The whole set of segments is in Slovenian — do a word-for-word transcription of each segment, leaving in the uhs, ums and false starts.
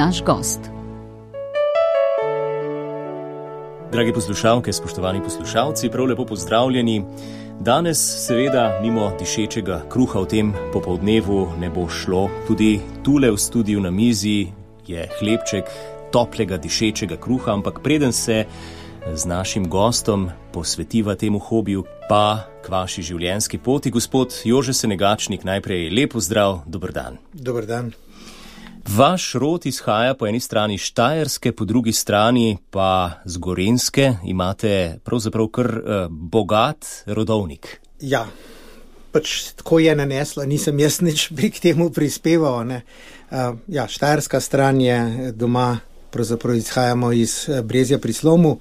naš gost. Dragi poslušalke, spoštovani poslušalci, prav lepo pozdravljeni. Danes seveda mimo dišečega kruha v tem popoldnevu ne bo šlo. Tudi tule v studiu na mizi je hlebček toplega dišečega kruha, ampak preden se z našim gostom posvetiva temu hobiju, pa k vaši življenjski poti, gospod Jože Senegačnik, najprej lep pozdrav, dober dan. Dober dan. Vaš rod izhaja po eni strani Štajerske, po drugi strani pa z Gorenjske. Imate pravzaprav kar uh, bogat rodovnik. Ja, pač tako je naneslo, nisem jaz nič pri k temu prispeval. Ne. Uh, ja, Štajerska stran je doma, pravzaprav izhajamo iz Brezja pri Slomu,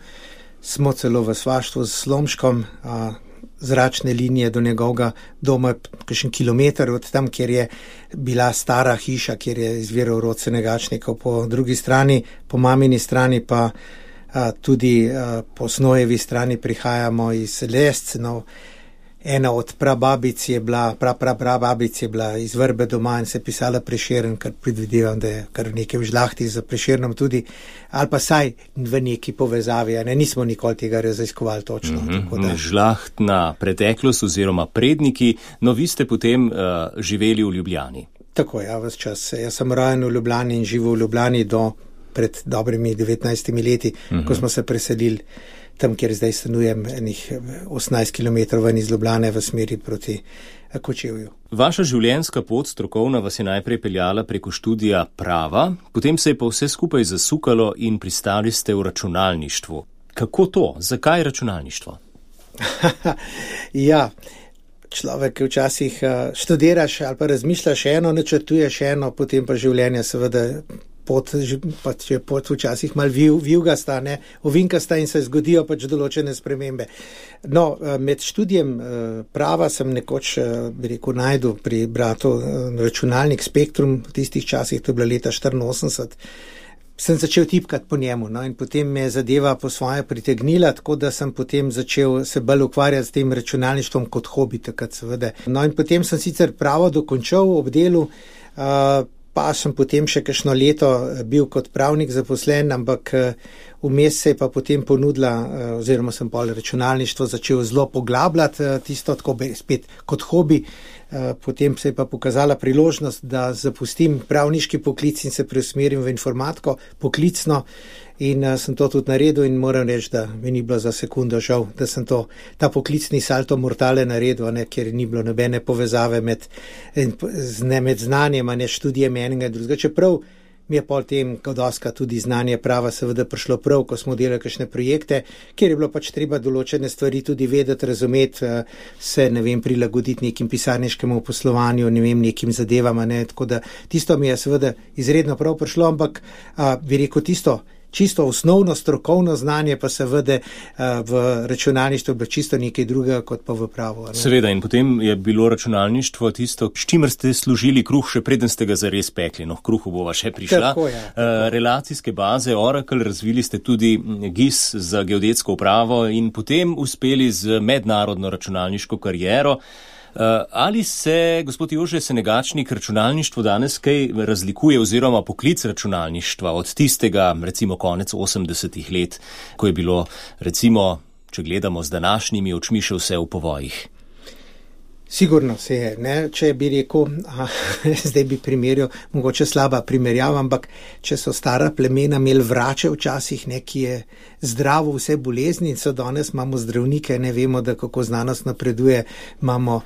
smo celo v svaštvu s Slomškom, uh, zračne linije do njegovega doma, kakšen kilometer od tam, kjer je bila stara hiša, kjer je izviral rod Senegačnikov. Po drugi strani, po mamini strani pa a, tudi a, po Snojevi strani prihajamo iz Lescenov. Ena od prababic je bila, pra, pra, prababic je bila iz Vrbe doma in se pisala Prešeren, kar predvidevam, da je kar nekaj v žlahti za Prešernom tudi, ali pa saj v neki povezavi, ne, nismo nikoli tega raziskovali točno. Mm-hmm. Tako da. Žlahtna preteklost oziroma predniki, no vi ste potem uh, živeli v Ljubljani. Tako, ja, ves čas. Jaz sem rojen v Ljubljani in živel v Ljubljani do pred dobrimi devetnajstimi leti, mm-hmm. ko smo se preselili tam, kjer zdaj stanujem, enih osemnajst kilometrov ven iz Ljubljane v smeri proti Kočevju. Vaša življenjska pot strokovna vas je najprej peljala preko študija prava, potem se je pa vse skupaj zasukalo in pristali ste v računalništvu. Kako to? Zakaj računalništvo? Ja, človek včasih študiraš ali pa razmišljaš eno, načrtuješ eno, potem pa življenje seveda pot, pa če pot včasih malo viv, vivgasta, ne, ovinkasta in se zgodijo pač določene spremembe. No, med študijem prava sem nekoč, bi rekel, najdu pri bratu računalnik Spektrum, v tistih časih, to je bila leta štiriinosemdeset, sem začel tipkati po njemu, no, in potem me je zadeva po svoje pritegnila, tako da sem potem začel se bolj ukvarjati s tem računalništvom kot hobi, takrat seveda. No, in potem sem sicer pravo dokončal ob delu, uh, pa sem potem še kakšno leto bil kot pravnik zaposlen, ampak vmes se je pa potem ponudila, oziroma sem pol računalništvo začel zelo poglabljati, tisto tako spet kot hobi. Potem se je pa pokazala priložnost, da zapustim pravniški poklic in se preusmerim v informatiko poklicno in sem to tudi naredil in moram reči, da mi ni bilo za sekundo žal, da sem to, ta poklicni salto mortale naredil, ne, ker ni bilo nobene povezave med, ne, med znanjem, ne študijem enega in drugega. Čeprav mi je pol tem, ko doska tudi znanje prava seveda prišlo prav, ko smo delali kakšne projekte, kjer je bilo pač treba določene stvari tudi vedeti, razumeti, se, ne vem, prilagoditi nekim pisarniškemu poslovanju, ne vem, nekim zadevama, ne, tako da tisto mi je seveda izredno prav prišlo, ampak a, bi rekel tisto, čisto osnovno strokovno znanje pa seveda v računalništvu bilo čisto nekaj drugega kot pa v pravu. Ne? Seveda, in potem je bilo računalništvo tisto, s čimer ste služili kruh, še preden ste ga zares pekli. No, kruhu bova še prišla. Tako je, tako. Relacijske baze, Oracle, razvili ste tudi G I S za geodetsko upravo in potem uspeli z mednarodno računalniško kariero. Ali se, gospod Jože Senegačnik, računalništvo danes kaj razlikuje oziroma poklic računalništva od tistega, recimo konec osemdesetih let, ko je bilo, recimo, če gledamo z današnjimi očmi, še vse v povojih? Sigurno se je, ne, če bi rekel, a, zdaj bi primerjal, mogoče slaba primerjava, ampak če so stara plemena imeli vrače včasih, ne, ki je zdravo vse bolezni, so danes imamo zdravnike, ne vemo, da kako znanost napreduje, imamo,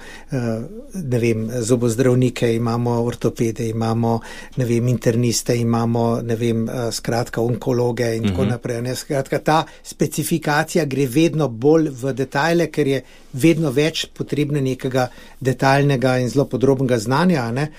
ne vem, zobozdravnike, imamo ortopede, imamo, ne vem, interniste, imamo, ne vem, skratka, onkologe in tako naprej, ne, skratka, ta specifikacija gre vedno bolj v detajle, ker je vedno več potrebno nekega detaljnega in zelo podrobnega znanja, ne.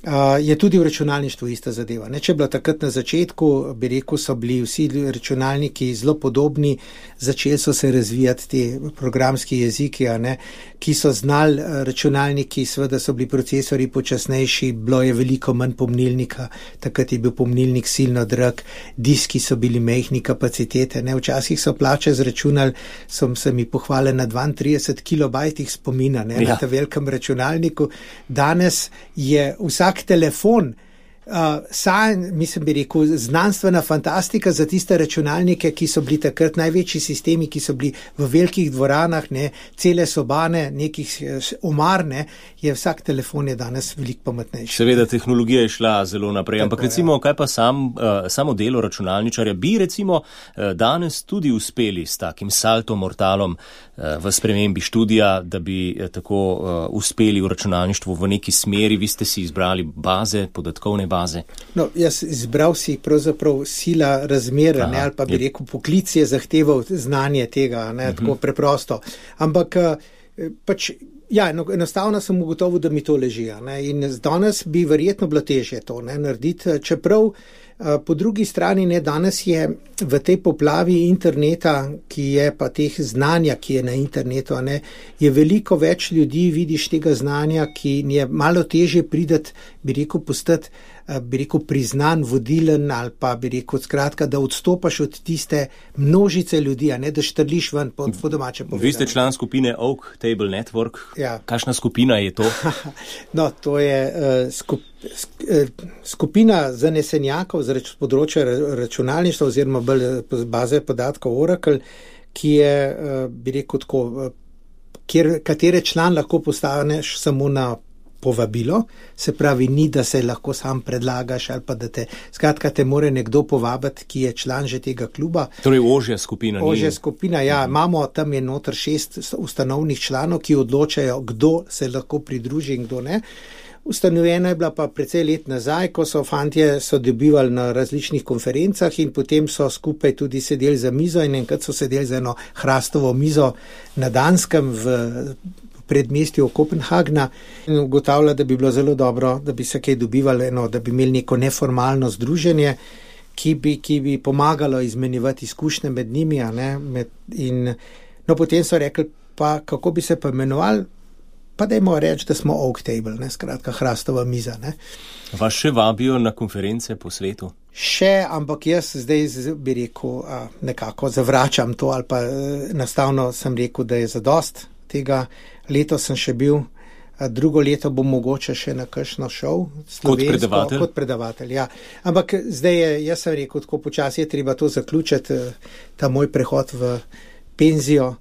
Uh, je tudi v računalništvu ista zadeva. Ne, če je bilo takrat na začetku, bi rekel, so bili vsi računalniki zelo podobni, začeli so se razvijati ti programski jeziki, a ne, ki so znali računalniki, seveda so bili procesori počasnejši, bilo je veliko manj pomnilnika, takrat je bil pomnilnik silno drag, diski so bili majhni kapacitete, ne, včasih so plače zračunali, so se mi pohvali na dvaintrideset kilobajtih spomina, ne, ja. Na tem velikem računalniku. Danes je vsak telefon Uh, Saj, mislim, bi rekel, znanstvena fantastika za tiste računalnike, ki so bili takrat največji sistemi, ki so bili v velikih dvoranah, ne, cele sobane, nekih omar, ne, je vsak telefon je danes veliko pametnejši. Seveda, tehnologija je šla zelo naprej, ampak Tako, recimo, ja. kaj pa sam, uh, samo delo računalničarja, bi recimo uh, danes tudi uspeli s takim saltom mortalom uh, v spremembi študija, da bi uh, tako uh, uspeli v računalništvu v neki smeri, vi ste si izbrali baze, podatkovne baze. Baze. No, jaz izbral si pravzaprav sila razmera, Aha, ne, ali pa bi je... rekel, poklic je zahteval znanje tega, ne, uh-huh. tako preprosto. Ampak pač, ja, enostavno sem ugotovil, da mi to leži. Ne, in danes bi verjetno bilo težje to ne, narediti, čeprav po drugi strani ne, danes je v tej poplavi interneta, ki je pa teh znanja, ki je na internetu, ne, je veliko več ljudi, vidiš tega znanja, ki je malo težje prideti, bi rekel, postati bi rekel, priznan, vodilen ali pa bi rekel, skratka, da odstopaš od tiste množice ljudi, a ne da štrliš ven po, po domače povedano. Vi ste član skupine Oak Table Network. Ja. Kakšna skupina je to? No, to je uh, skup, sk, uh, skupina zanesenjakov z reč, področja računalništva oziroma baze podatkov Oracle, ki je, uh, bi rekel, tako, uh, kjer, katere član lahko postaneš samo na povabilo, se pravi, ni, da se lahko sam predlagaš ali pa da te, skratka, te more nekdo povabiti, ki je član že tega kluba. Torej, ožja skupina. Ožja skupina, ja, uh-huh. Imamo tam je noter šest ustanovnih članov, ki odločajo, kdo se lahko pridruži in kdo ne. Ustanovljena je bila pa precej let nazaj, ko so fantje so dobivali na različnih konferencah in potem so skupaj tudi sedeli za mizo in enkrat so sedeli za eno hrastovo mizo na Danskem v predmestju Kopenhagna in ugotavlja, da bi bilo zelo dobro, da bi se kaj dobivali, no, da bi imeli neko neformalno združenje, ki bi, ki bi pomagalo izmenjevati izkušnje med njimi. A ne, med, in, no, potem so rekli, pa kako bi se pa imenovali, pa dajmo reči, da smo Oak Table, ne, skratka, hrastova miza. Ne. Vas še vabijo na konference po svetu? Še, ampak jaz zdaj bi rekel, nekako zavračam to, ali pa enostavno sem rekel, da je zadost tega. Leto sem še bil, drugo leto bom mogoče še na kakšno šel. Kot predavatelj? Kot predavatelj, ja. Ampak zdaj je, jaz sem rekel, tako počasi je treba to zaključiti, ta moj prehod v penzijo.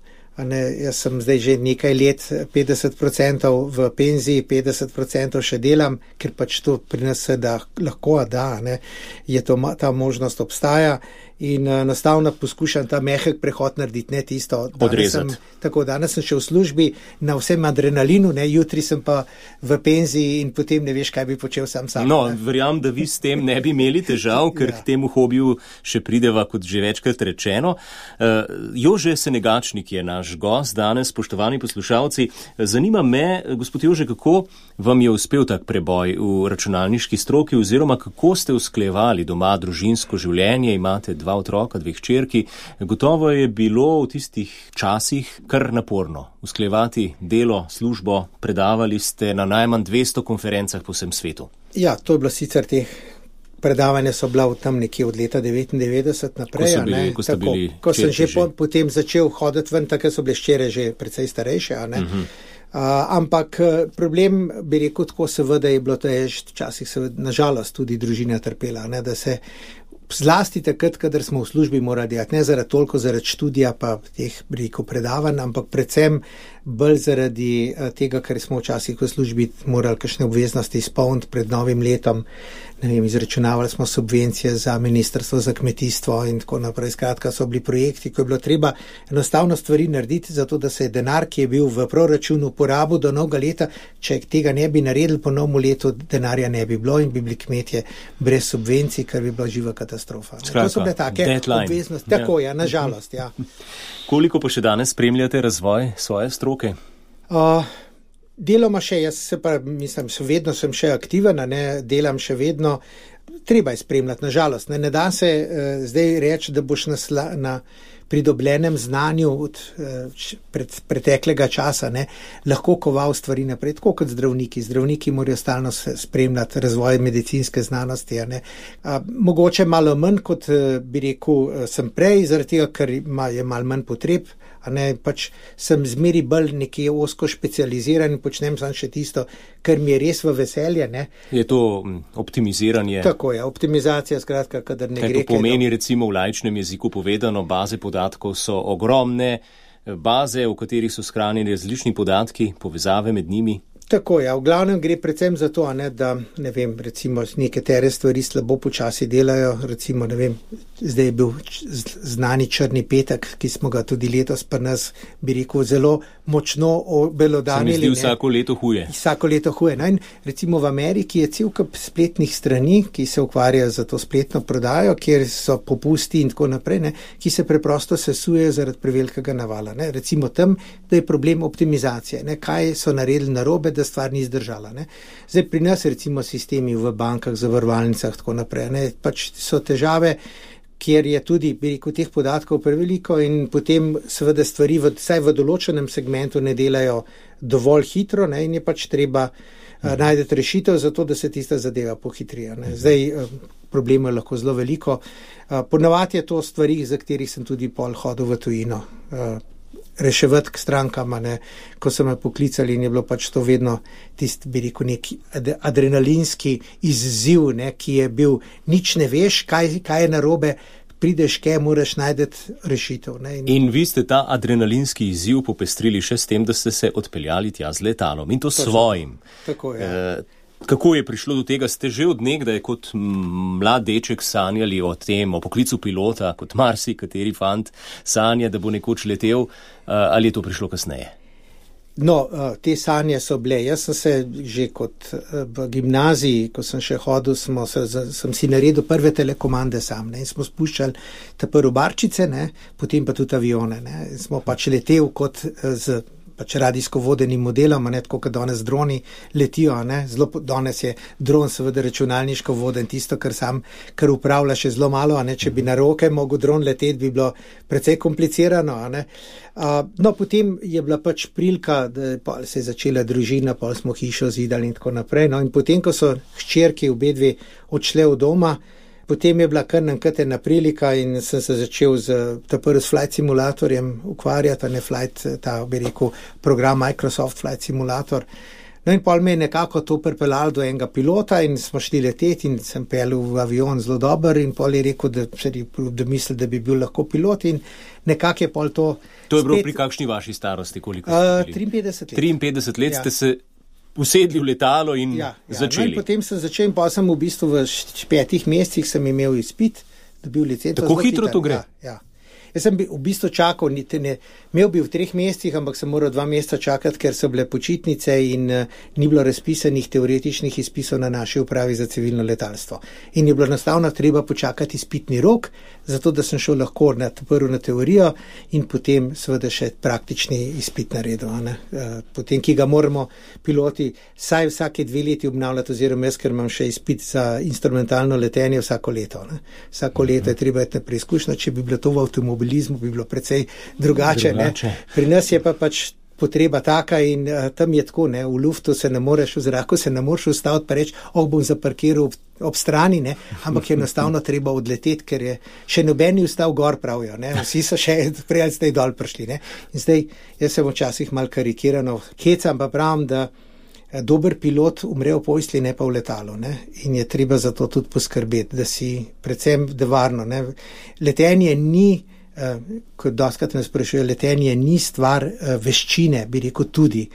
Ne, jaz sem zdaj že nekaj let, petdeset procentov v penziji, petdeset procentov še delam, ker pač to pri nas se da, lahko da, ne, je to, ta možnost obstaja. In enostavno poskušam ta mehek prehod narediti, ne tisto. Odrezati. Tako, danes sem še v službi na vsem adrenalinu, ne, jutri sem pa v penziji in potem ne veš, kaj bi počel sam sam. No, verjam, da vi s tem ne bi imeli težav, ker ja. K temu hobiju še prideva, kot že večkrat rečeno. Uh, Jože Senegačnik je naš gost danes, spoštovani poslušalci. Zanima me, gospod Jože, kako vam je uspel tak preboj v računalniški stroki oziroma kako ste usklajevali doma družinsko življenje, imate dva otroka, dve hčerki. Gotovo je bilo v tistih časih kar naporno usklajevati delo, službo, predavali ste na najmanj dvesto konferencah po vsem svetu. Ja, to je bilo sicer teh predavanja so bila tam nekje od leta devetindevetdeset naprej. Ko, bili, ko, tako, bili ko sem že, že. Po, potem začel hoditi ven, tako so bile ščere že precej starejše. A ne? Uh-huh. Uh, ampak problem, bi rekel tako, seveda je bilo, to je včasih seveda, nažalost tudi družina trpela, ne? Da se zlasti takrat, kadar smo v službi morali delati, ne zaradi toliko zaradi študija pa teh, bi rekel, predavanj, ampak predvsem bolj zaradi tega, ker smo včasih v službi morali kakšne obveznosti izpolniti pred novim letom. Ne vem, izračunavali smo subvencije za ministrstvo za kmetijstvo in tako naprej. Skratka, so bili projekti, ko je bilo treba enostavno stvari narediti, zato da se je denar, ki je bil v proračunu porabil do novega leta, če tega ne bi naredili po novem letu, denarja ne bi bilo in bi bili kmetje brez subvencij, kar bi bila živa katastrofa. Skratka, to so bile take obveznosti. Tako je, ja, nažalost, ja. Koliko pa še danes spremljate razvoj svoje stroke? Uh, deloma še, jaz se pa, mislim, še vedno sem še aktiven, ne, delam še vedno, treba je spremljati, nažalost. Ne, ne da se uh, zdaj reči, da boš nasla, na pridobljenem znanju od pred, preteklega časa ne, lahko koval stvari naprej, tako kot zdravniki. Zdravniki morajo stalno spremljati razvoj medicinske znanosti. Ne. A, mogoče malo manj, kot bi rekel, sem prej, zaradi tega, ker ima, je malo manj potreb, a ne, pač sem zmeri bolj nekje osko specializiran in počnem sam še tisto, kar mi je res v veselje. Ne. Je to optimiziranje? Tako je, optimizacija, skratka, kadar ne kaj gre. Kaj to pomeni, recimo v laičnem jeziku povedano, baze podatkov so ogromne, baze, v katerih so shranjeni različni podatki, povezave med njimi? Tako, ja, v glavnem gre predvsem za to, ne, da, ne vem, recimo nekatere stvari slabo počasi delajo, recimo, ne vem, zdaj je bil znani črni petek, ki smo ga tudi letos pa nas, bi rekel, zelo močno obelodanili. Se mi zdi vsako leto huje. Vsako leto huje. No, in recimo v Ameriki je cel kup spletnih strani, ki se ukvarjajo za to spletno prodajo, kjer so popusti in tako naprej, ne, ki se preprosto sesujejo zaradi prevelikega navala. Ne. Recimo tam, da je problem optimizacije, ne, kaj so naredili narobe, da stvar ni zdržala. Ne. Zdaj pri nas recimo sistemi v bankah, zavarovalnicah, tako naprej, ne, pač so težave, kjer je tudi, bi rekel, teh podatkov preveliko in potem seveda stvari v, vsaj v določenem segmentu ne delajo dovolj hitro, ne, in je pač treba uh, najti rešitev za to, da se tista zadeva pohitrija. Ne. Zdaj uh, problemov je lahko zelo veliko. Uh, ponavadi je to stvari, za katerih sem tudi pol hodil v tujino. Uh, reševati k strankama, ne, ko so me poklicali in je bilo pač to vedno tisti, bi rekel, neki adrenalinski izziv, ne, ki je bil, nič ne veš, kaj, kaj je narobe, prideš, kaj moraš najdeti rešitev. Ne, in... in vi ste ta adrenalinski izziv popestrili še s tem, da ste se odpeljali tja z letalom in to, to svojim. Tako je. E, Kako je prišlo do tega? Ste že od nekdaj kot mlad deček sanjali o tem, o poklicu pilota, kot marsi, kateri fant sanja, da bo nekoč letel, ali je to prišlo kasneje? No, te sanje so bile. Jaz sem se že kot v gimnaziji, ko sem še hodil, smo, sem si naredil prve telekomande sam, ne, in smo spuščali te prvo barčice, ne, potem pa tudi avione. Ne, in smo pač letel kot z pač radijsko vodenim modelom, ne, tako kot danes droni letijo, ne, zelo danes je dron seveda računalniško voden, tisto, kar sam, kar upravlja še zelo malo, ne, če bi na roke mogel dron leteti, bi bilo precej komplicirano, ne. Uh, no, potem je bila pač prilika, da pa se je začela družina, pa smo hišo zidali in tako naprej, no, in potem, ko so hčerke obedve odšle od doma, potem je bila kar nankrat ena prilika in sem se začel z ta prvi s Flight Simulatorjem ukvarjati, ne Flight, ta bi rekel program Microsoft Flight Simulator. No in pol me je nekako to pripeljalo do enega pilota in smo šli leteti in sem pelil v avion zelo dober in pol je rekel, da, da misli, da bi bil lahko pilot in nekako je pol to... To je bilo spet... pri kakšni vaši starosti? Koliko ste bili? Uh, triinpetdeset let. triinpetdeset let ja. Ste se usedli v letalo in ja, ja. začeli. No in potem sem začel in pa sem v bistvu v petih mesecih sem imel izpit, dobil licenco. Tako hitro to gre? Ja, ja. Jaz sem v bistvu čakal, niti ne, imel bi v treh mesecih, ampak sem moral dva meseca čakati, ker so bile počitnice in uh, ni bilo razpisanih teoretičnih izpisov na naši upravi za civilno letalstvo. In je bilo enostavno treba počakati izpitni rok, zato da sem šel lahko na, prvo na teorijo in potem seveda še praktični izpit naredil. Uh, potem, ki ga moramo piloti saj vsake dve leti obnavljati, oziroma jaz, ker imam še izpit za instrumentalno letenje vsako leto. Ne. Vsako leto je treba iti na preizkušnjo, če bi bilo to v avtomobilizmu, bi bilo precej drugače. drugače. Pri nas je pa pač potreba taka in uh, tam je tako, ne, v luftu se ne moreš, v zraku se ne moreš ustaviti pa reči, oh, bom zaparkiral ob, ob strani, ne, ampak je enostavno treba odleteti, ker je še nobeni ustav gor, pravijo, ne, vsi so še prej ali zdaj dol prišli, ne. In zdaj, jaz sem včasih mal karikirano hecam, pa pravim, da dober pilot umre v posli, ne pa v letalu, ne, in je treba za to tudi poskrbeti, da si predvsem da varno, ne. Letenje ni Uh, kot dostakrat me sprašuje, letenje ni stvar uh, veščine, bi rekel tudi,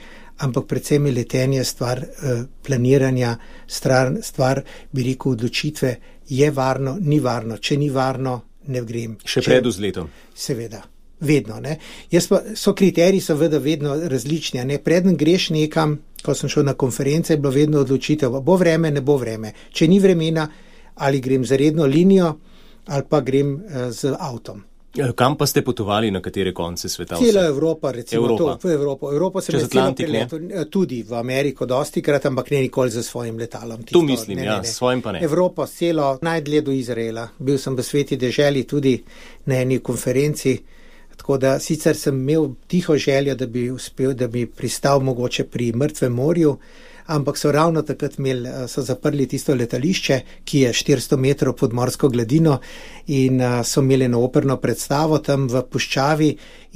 ampak predvsem je letenje stvar uh, planiranja, stvar, stvar, bi rekel, odločitve, je varno, ni varno, če ni varno, ne grem. Še pred vzletom. Seveda, vedno, ne. Jaz pa, so kriteriji seveda vedno različni, ne, preden greš nekam, ko sem šel na konference, je bilo vedno odločitev, bo vreme, ne bo vreme. Če ni vremena, ali grem za redno linijo, ali pa grem uh, z avtom. Kam pa ste potovali, na katere konce sveta? Cela Evropa, recimo Evropa. to, v Evropo. Evropo sem čez Atlantik, ne? Tudi v Ameriko dosti krat, ampak ne nikoli za svojim letalom. Tisto, tu mislim, ne, ja, ne, ne. S svojim pa ne. Evropo, celo najdlje do Izraela. Bil sem v Sveti deželi tudi na eni konferenci, Tako da sicer sem imel tiho željo, da bi uspel, da bi pristal mogoče pri Mrtvem morju, ampak so ravno takrat imeli, so zaprli tisto letališče, ki je štiristo metrov pod morsko gladino in so imeli eno operno predstavo tam v puščavi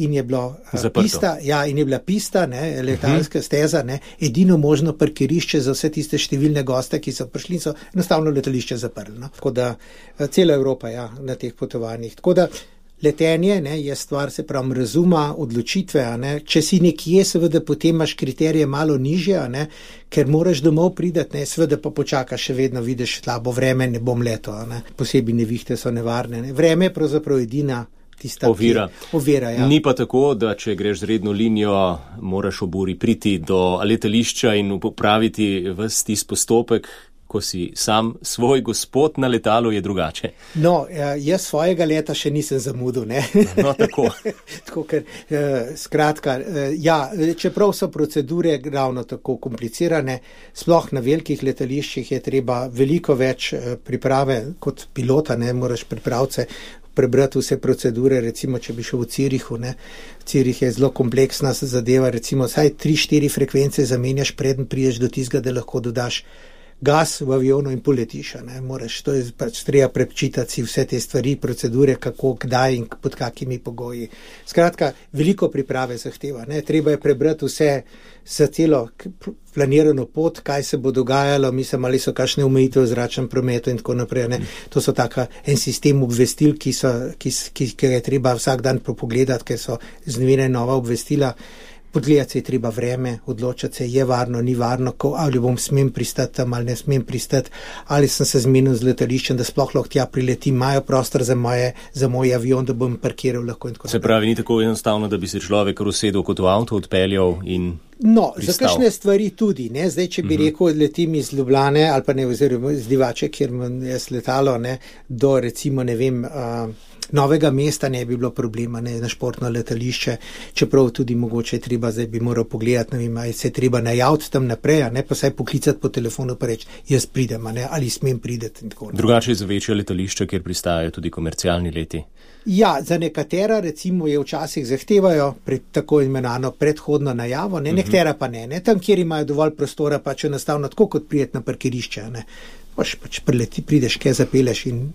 in je bilo Zaprto. pista, ja, in je bila pista, ne, letalska steza, ne, edino možno parkirišče za vse tiste številne goste, ki so prišli in so enostavno letališče zaprli. No. Tako da cela Evropa, ja, na teh potovanjih. Tako da letenje, ne, je stvar, se pravi, razuma, odločitve, a ne. Če si nekje, seveda potem imaš kriterije malo nižje, a ne, ker moraš domov pridati, ne, seveda pa počakaš, še vedno vidiš slabo vreme, ne bom leto, a ne. Posebej nevihte so nevarne, ne. Vreme je pravzaprav edina tista ovira. ovira ja. Ni pa tako, da če greš z redno linijo, moraš ob uri priti do letališča in popraviti ves tisti postopek. Ko si sam svoj gospod na letalu, je drugače. No, jaz svojega leta še nisem zamudil, ne. No, tako. Tako, ker, skratka, ja, čeprav so procedure ravno tako komplicirane, sploh na velikih letališčih je treba veliko več priprave kot pilota, ne, moraš pripravce prebrati vse procedure, recimo, če bi šel v Cirihu, ne. Cirih je zelo kompleksna zadeva, recimo, saj tri, štiri frekvence zamenjaš, preden prideš do tistega, da lahko dodaš gas v avionu in poletiš, ne, moraš, to je pač treba prečitati si vse te stvari, procedure, kako, kdaj in pod kakimi pogoji. Skratka, veliko priprave zahteva, ne, treba je prebrati vse za celo planirano pot, kaj se bo dogajalo, mislim, ali so kakšne omejitve v zračnem prometu in tako naprej, ne. To so taka en sistem obvestil, ki so, ki, ki, ki je treba vsak dan pogledati, ker so znevene nova obvestila. Podgledati se je treba vreme, odločati se je varno, ni varno, ko, ali bom smem pristati tam, ali ne smem pristati, ali sem se zmenil z letališčem, da sploh lahko tja priletim, imajo prostor za, moje, za moj avion, da bom parkiral lahko in tako naprej. Se pravi, ni tako enostavno, da bi se človek usedel kot v avto, odpeljal in No, pristal. Za kakšne stvari tudi, ne, zdaj, če bi uh-huh. rekel, letim iz Ljubljane, ali pa ne, oziroma iz Divače, kjer je letalo, ne, do recimo, ne vem, uh, Novega mesta ne bi bilo problema, ne, na športno letališče, čeprav tudi mogoče treba, zdaj bi moral pogledati, ne vem, ali se treba najaviti tam naprej, a ne, pa saj poklicati po telefonu pa reči, jaz pridem, a ne, ali smem prideti in tako naprej. Drugače je za večje letališče, kjer pristajajo tudi komercialni leti. Ja, za nekatera recimo je včasih zahtevajo pred tako imenovano predhodno najavo, ne, nekatera pa ne, ne, tam, kjer imajo dovolj prostora, pač enostavno tako kot prijeti na parkirišče, ne, pač, pač prileti, prideš, kaj zapeleš in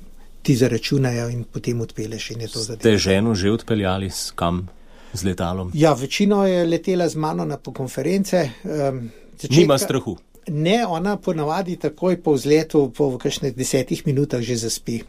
ti zaračunajo in potem odpeleš in je to zadeva. Ste ženo že odpeljali s kam z letalom? Ja, večino je letela z mano na konference. Um, začetka, Nima strahu? Ne, ona ponavadi takoj po vzletu, po kakšnih desetih minutah že zaspi.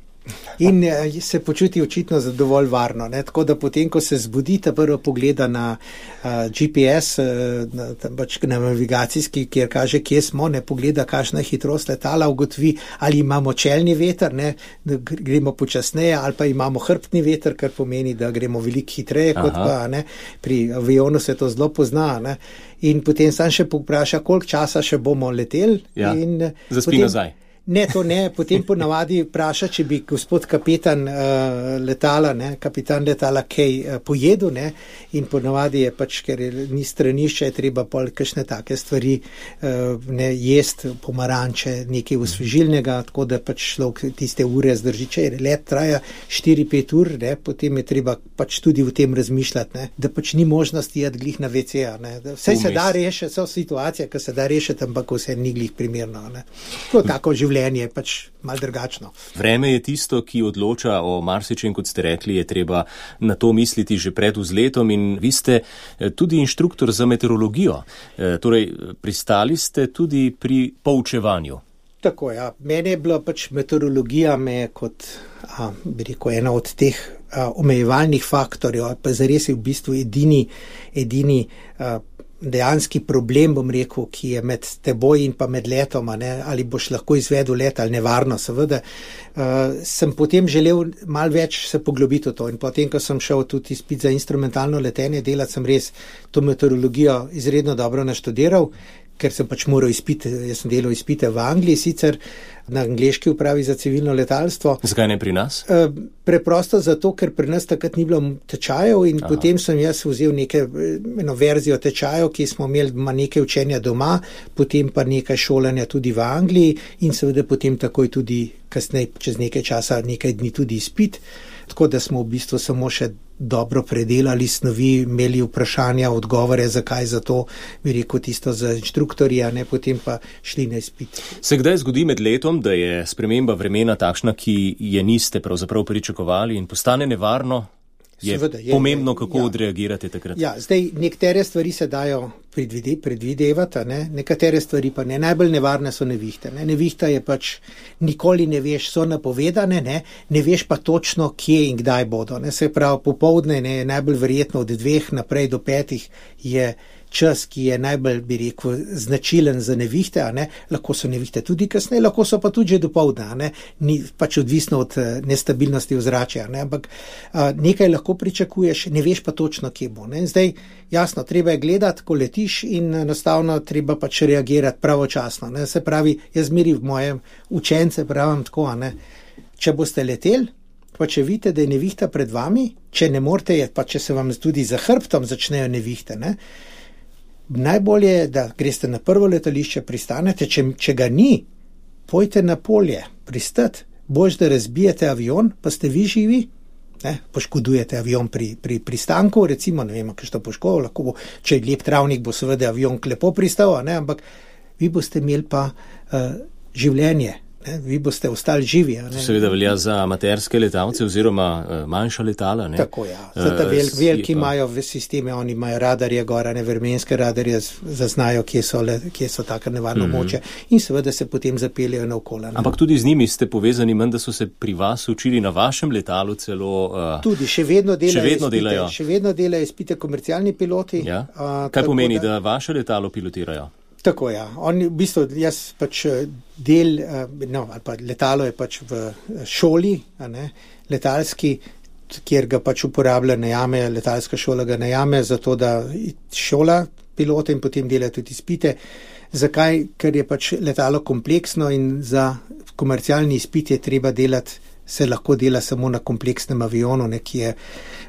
In se počuti očitno dovolj varno, ne? Tako da potem, ko se zbudi, ta prvo pogleda na uh, G P S, uh, na, pač na navigacijski, kjer kaže, kje smo, ne, pogleda, kakšna je hitrost letala, ugotovi, ali imamo čelni veter, ne, da gremo počasneje, ali pa imamo hrbtni veter, kar pomeni, da gremo veliko hitreje kot Aha. pa, ne, pri avionu se to zelo pozna, ne, in potem sam še popraša, koliko časa še bomo leteli. Ja, in zaspi potem, nazaj. Ne, to ne, potem ponavadi vpraša, če bi gospod kapetan uh, letala, ne, kapitan letala kaj uh, pojedel, ne, in ponavadi je pač, ker je, ni stranišče, je treba pol kakšne take stvari uh, ne, jest, pomaranče, nekaj osvežilnega, tako da pač človek tiste ure zdrži, če let traja štiri pet ur, ne, potem je treba pač tudi v tem razmišljati, ne, da pač ni možnosti jeti glih na ve ce, ne, da vse se da rešiti, so situacije, ki se da rešiti, ampak vse ni glih primerno, ne. To je tako življenje je pač malo drugačno. Vreme je tisto, ki odloča o marsičem, kot ste rekli, je treba na to misliti že pred vzletom in vi ste tudi inštruktor za meteorologijo. E, torej, pristali ste tudi pri poučevanju. Tako, ja. Mene je bila pač meteorologija me kot, a, bi rekel, ena od teh a, omejevalnih faktorjev, pa zares je v bistvu edini, edini a, dejanski problem, bom rekel, ki je med teboj in pa med letoma, ne, ali boš lahko izvedel let ali nevarno, seveda. Uh, sem potem želel malo več se poglobiti v to in potem, ko sem šel tudi izpit za instrumentalno letenje delati, sem res to meteorologijo izredno dobro naštudiral, ker sem pač moral izpite, jaz sem delal izpite v Angliji, sicer na angleški upravi za civilno letalstvo. Zakaj ne pri nas? Uh, preprosto zato, ker pri nas takrat ni bilo tečajev in Aha. potem sem jaz vzel neke, eno verzijo tečajev, ki smo imeli nekaj učenja doma, potem pa nekaj šolanja tudi v Angliji in seveda potem takoj tudi kasneje, čez nekaj časa, nekaj dni tudi izpit. tako da smo v bistvu samo še dobro predelali snovi, imeli vprašanja, odgovore, zakaj za to, bi rekel tisto za inštruktorja, ne, potem pa šli na izpit. Se kdaj zgodi med letom, da je sprememba vremena takšna, ki je niste pravzaprav pričakovali in postane nevarno? Je Seveda, je pomembno, kako ja. odreagirate takrat. Ja, zdaj nekatere stvari se dajo predvide, predvidevati, ne? Nekatere stvari pa ne. Najbolj nevarne so nevihte. Ne? Nevihta je pač, nikoli ne veš, so napovedane, ne, ne veš pa točno, kje in kdaj bodo. Ne? Se pravi, popovdne ne, je najbolj verjetno od dveh naprej do petih je čas, ki je najbolj, bi rekel, značilen za nevihte, a ne, lahko so nevihte tudi kasneje, lahko so pa tudi že dopoldne, a ne, ni pač odvisno od nestabilnosti ozračja, ne, ampak a, nekaj lahko pričakuješ, ne veš pa točno, kje bo, ne, zdaj, jasno, treba je gledati, ko letiš in enostavno treba pač reagirati pravočasno, ne, se pravi, jaz zmeri v mojem učence pravim tako, a ne, če boste leteli, pa če vidite, da je nevihta pred vami, če ne morete, pa če se vam tudi za hrbtom začnejo nevihte, ne, najbolje je, da greste na prvo letališče, pristanete, če, če ga ni, pojte na polje, pristati, boš, da razbijete avion, pa ste vi živi, ne, poškodujete avion pri, pri pristanku, recimo, ne vem, kaj što poškodilo, lahko bo, če je lep travnik, bo seveda avion lepo pristal, ne, ampak vi boste imeli pa uh, življenje. Ne, vi boste ostali živi. Ne? Seveda velja za amaterske letalce oziroma uh, manjša letala. Ne? Tako, ja. Zata vel, veliki imajo v sisteme, oni imajo radarje gora, ne vremenske radarje, zaznajo, kje so, le, kje so taka nevarno mm-hmm. moče in seveda se potem zapeljajo na okola. Ne? Ampak tudi z njimi ste povezani, manj, da so se pri vas učili na vašem letalu celo. Uh, tudi, še vedno delajo. Še vedno izpite, delajo. Še vedno delajo izpite komercialni piloti. Ja? Uh, Kaj pomeni, da, da vaše letalo pilotirajo? Tako, ja. On, v bistvu, jaz pač del, no, ali pa letalo je pač v šoli, a ne, letalski, kjer ga pač uporablja, najame, letalska šola ga najame, zato da šola pilote in potem dela tudi izpite. Zakaj? Ker je pač letalo kompleksno in za komercialni izpit je treba delati, se lahko dela samo na kompleksnem avionu, ne, ki je,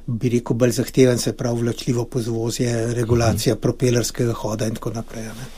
bi rekel, bolj zahteven, se pravi vlačljivo pozvozje, regulacija mhm. propelerskega hoda in tako naprej, ne.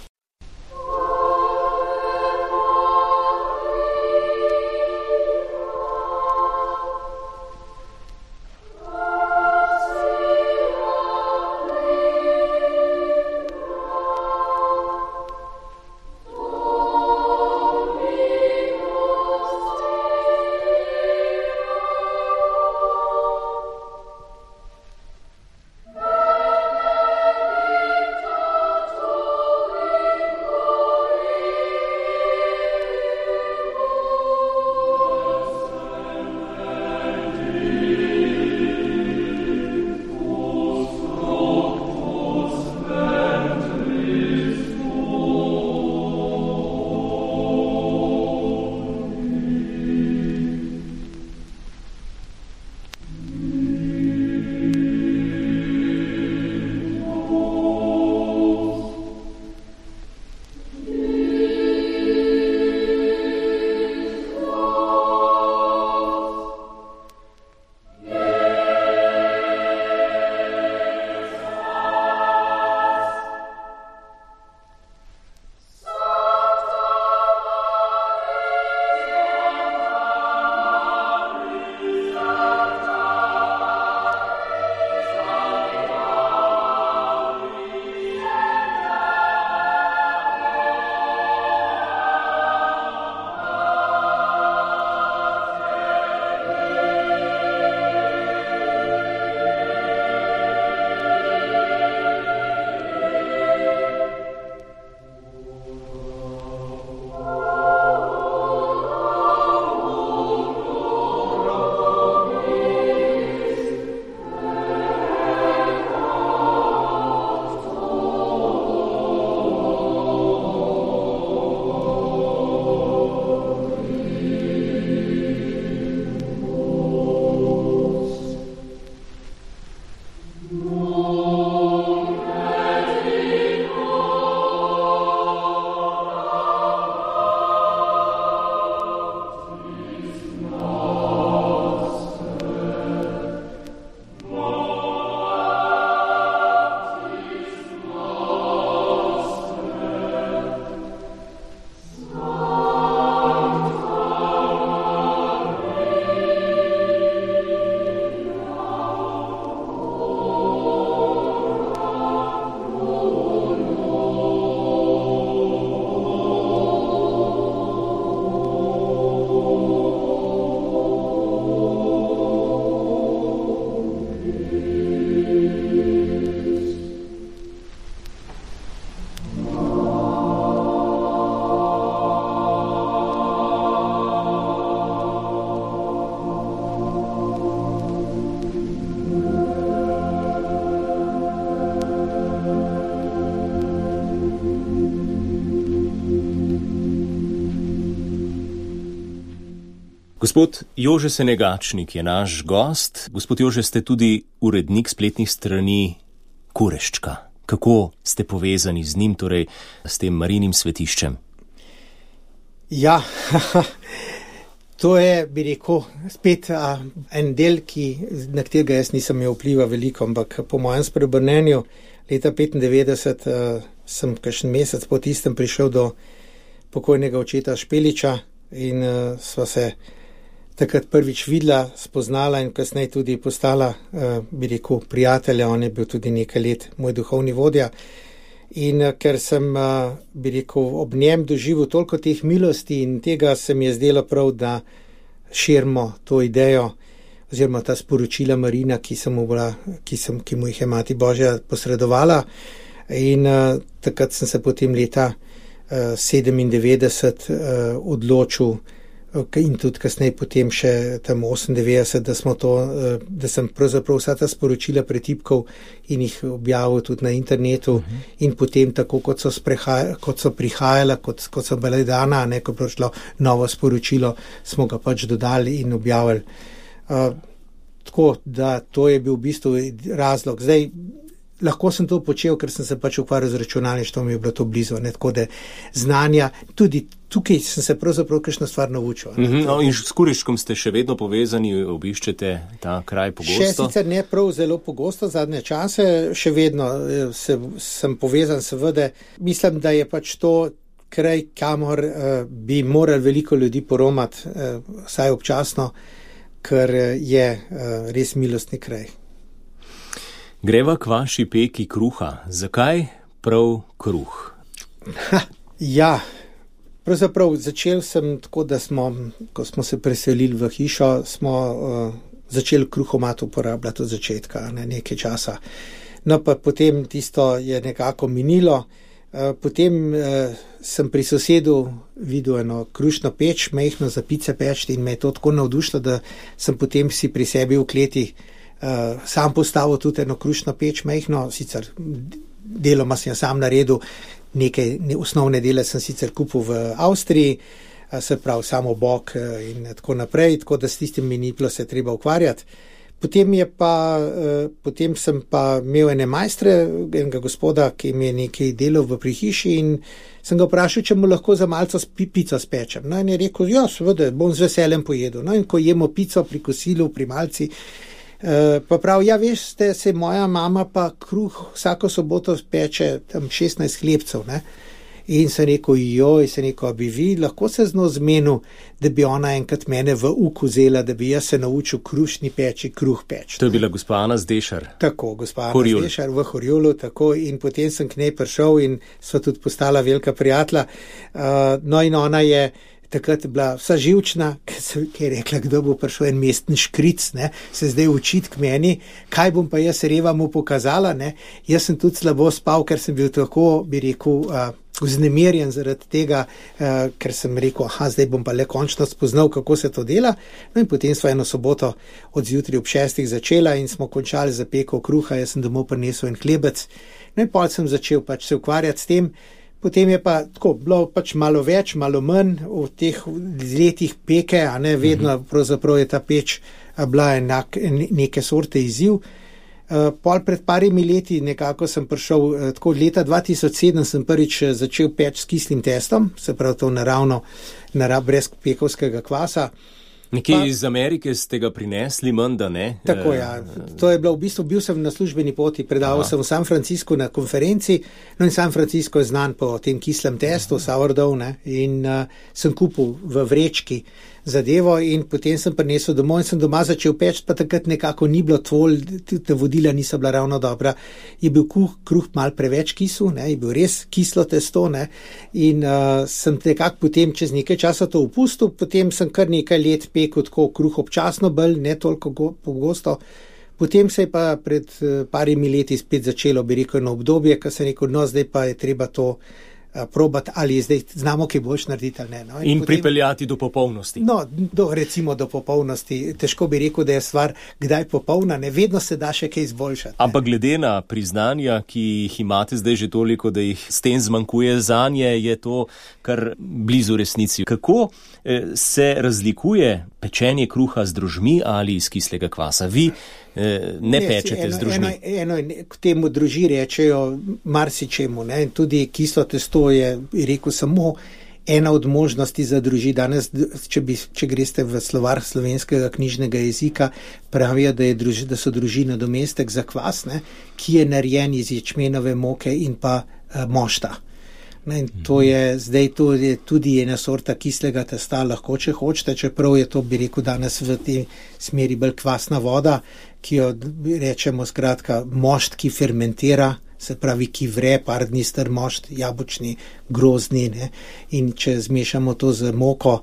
Gospod Jože Senegačnik je naš gost. Gospod Jože, ste tudi urednik spletnih strani Kureščka. Kako ste povezani z njim, torej s tem Marijinim svetiščem? Ja, to je, bi rekel, spet a, en del, ki, na katerega jaz nisem imel vpliva veliko, ampak po mojem spreobrnenju leta petindevetdeset a, sem kakšen mesec po tistem prišel do pokojnega očeta Špeliča in a, sva se takrat prvič videla, spoznala in kasneje tudi postala, a, bi rekel, prijatelja. On je bil tudi nekaj let moj duhovni vodja. In a, ker sem, a, bi rekel, ob njem doživel toliko teh milosti in tega se mi je zdelo prav, da širimo to idejo oziroma ta sporočila Marina, ki, sem mu, bila, ki, sem, ki mu jih je Mati Božja posredovala. In a, takrat sem se potem leta a, sedemindevetdeset a, odločil in tudi kasneje potem še tam osemindevetdeset, da smo to, da sem pravzaprav vsa ta sporočila pretipkal in jih objavil tudi na internetu. Uh-huh. In potem tako, kot so, kot so prihajala, kot, kot so bile dana, ne, ko je prišlo novo sporočilo, smo ga pač dodali in objavili. Uh, tako, da to je bil v bistvu razlog. Zdaj, lahko sem to počel, ker sem se pač ukvarjal z računalništvom, mi je bilo to blizu, ne, tako da znanja, tudi tukaj sem se pravzaprav kakšno stvar naučil. Mm-hmm. No, in s Kureščkom ste še vedno povezani, obiščete ta kraj pogosto? Še sicer ne prav zelo pogosto, zadnje čase, še vedno se, sem povezan, seveda. Mislim, da je pač to kraj, kamor uh, bi morali veliko ljudi poromati, uh, vsaj občasno, ker je uh, res milostni kraj. Greva k vaši peki kruha. Zakaj prav kruh? Ha, ja, pravzaprav začel sem tako, da smo, ko smo se preselili v hišo, smo uh, začeli kruhomat uporabljati od začetka, ne, nekaj časa. No pa potem tisto je nekako minilo. Uh, potem uh, sem pri sosedu videl eno krušno peč, mehno za pice pečti in me je to tako navdušilo, da sem potem si pri sebi v kleti Uh, sam postavil tudi eno krušno peč, mehno, sicer deloma sem jo sam naredil, nekaj ne, osnovne dele sem sicer kupil v Avstriji, uh, se pravi samo bok uh, in tako naprej, tako da s tistim mi ni bilo se treba ukvarjati. Potem, je pa, uh, potem sem pa imel ene majstre, enega gospoda, ki mi je nekaj delal v prihiši in sem ga vprašal, če mu lahko za malco pico spečem. No in je rekel, ja, seveda, bom z veseljem pojedel. No in ko jemo pico pri kosilu, pri malci, Uh, pa prav, ja, veš, ste, se moja mama pa kruh vsako soboto speče tam šestnajst hlebcev, ne? In sem rekel, joj, sem rekel, bi vi lahko se z njo zmenil, da bi ona enkrat mene v uk vzela, da bi jaz se naučil krušni peči, kruh peč. To je bila gospa Ana Zdešar. Tako, gospa Ana Zdešar v Horjulu, tako, in potem sem k njej prišel in sva tudi postala velika prijatelja. Uh, no in ona je takrat je bila vsa živčna, ki je rekla, kdo bo prišel en mestni škric, ne, se zdaj učiti k meni, kaj bom pa jaz Reva mu pokazala, ne. Jaz sem tudi slabo spal, ker sem bil tako, bi rekel, uh, vznemirjen zaradi tega, uh, ker sem rekel, aha, zdaj bom pa le končno spoznal, kako se to dela. No in potem sva eno soboto od zjutraj ob šestih začela in smo končali za peko kruha, jaz sem domov prinesel en hlebec. No in pol sem začel pač se ukvarjati s tem. Potem je pa tako bilo pač malo več, malo manj v teh letih peke, a ne vedno pravzaprav je ta peč bila enak, neke sorte izziv. Pol pred parimi leti nekako sem prišel, tako leta dva tisoč sedem sem prvič začel peč s kislim testom, se pravi to naravno, narav, brez pekovskega kvasa. Nekje iz Amerike ste ga prinesli, menda, ne? Tako, ja. To je bilo v bistvu, bil sem na službeni poti, predaval Aha. sem v San Francisco na konferenci, no in San Francisco je znan po tem kislem testu, sourdough, ne, in uh, sem kupil v vrečki zadevo in potem sem prinesel domov in sem doma začel peč, pa takrat nekako ni bilo tvol, te vodila niso bila ravno dobra. Je bil kruh, kruh mal preveč kisel, ne, je bil res kislo testo, ne, in uh, sem nekako potem čez nekaj časa to upustil, potem sem kar nekaj let pekel tako kruh občasno bolj, ne toliko go, pogosto. Potem se je pa pred uh, parimi leti spet začelo, bi rekel, eno obdobje, ko sem rekel, no zdaj pa je treba to probati, ali je zdaj znamo, kaj boš narediti ali ne. No? In, in potem, pripeljati do popolnosti. No, do, recimo do popolnosti. Težko bi rekel, da je stvar kdaj popolna, ne vedno se da še kaj izboljšati. Ampak glede na priznanja, ki jih imate zdaj že toliko, da jih s tem zmanjkuje zanje, je to kar blizu resnici. Kako eh, se razlikuje pečenje kruha z drožmi ali iz kislega kvasa? Vi eh, ne, ne pečete eno, z drožmi. Eno, eno k temu droži rečejo marsičemu, ne, in tudi kislo testo je, rekel, samo ena od možnosti za droži. Danes, če, bi, če greste v slovar slovenskega knjižnega jezika, pravijo, da, je druži, da so droži nadomestek za kvas, ne, ki je narejen iz ječmenove moke in pa uh, mošta. Ne, in to je zdaj to je tudi ena sorta kislega testa, lahko če hočete, čeprav je to, bi rekel, danes v tej smeri bolj kvasna voda, ki jo rečemo skratka mošt, ki fermentira, se pravi, ki vre, par dni star mošt, jabočni, grozdni, ne? In če zmešamo to z moko,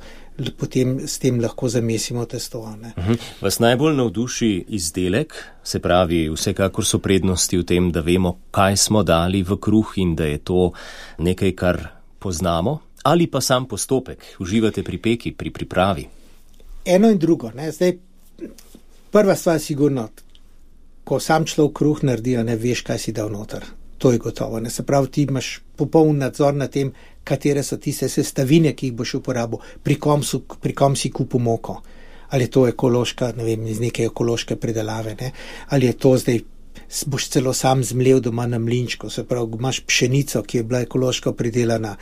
potem s tem lahko zamesimo testo. Ne? Uh-huh. Vas najbolj navduši izdelek, se pravi, vsekakor so prednosti v tem, da vemo, kaj smo dali v kruh in da je to nekaj, kar poznamo, ali pa sam postopek, uživate pri peki, pri pripravi? Eno in drugo. Ne? Zdaj, prva stvar sigurno, ko sam človek kruh naredi, ne veš, kaj si dal noter. To je gotovo. Ne? Se pravi, ti imaš popoln nadzor na tem, katere so tiste sestavine, ki jih boš uporabil, pri kom, so, pri kom si kupil moko. Ali je to ekološka, ne vem, iz neke ekološke predelave, ne? Ali je to zdaj, boš celo sam zmlel doma na mlinčku, se pravi, imaš pšenico, ki je bila ekološko predelana,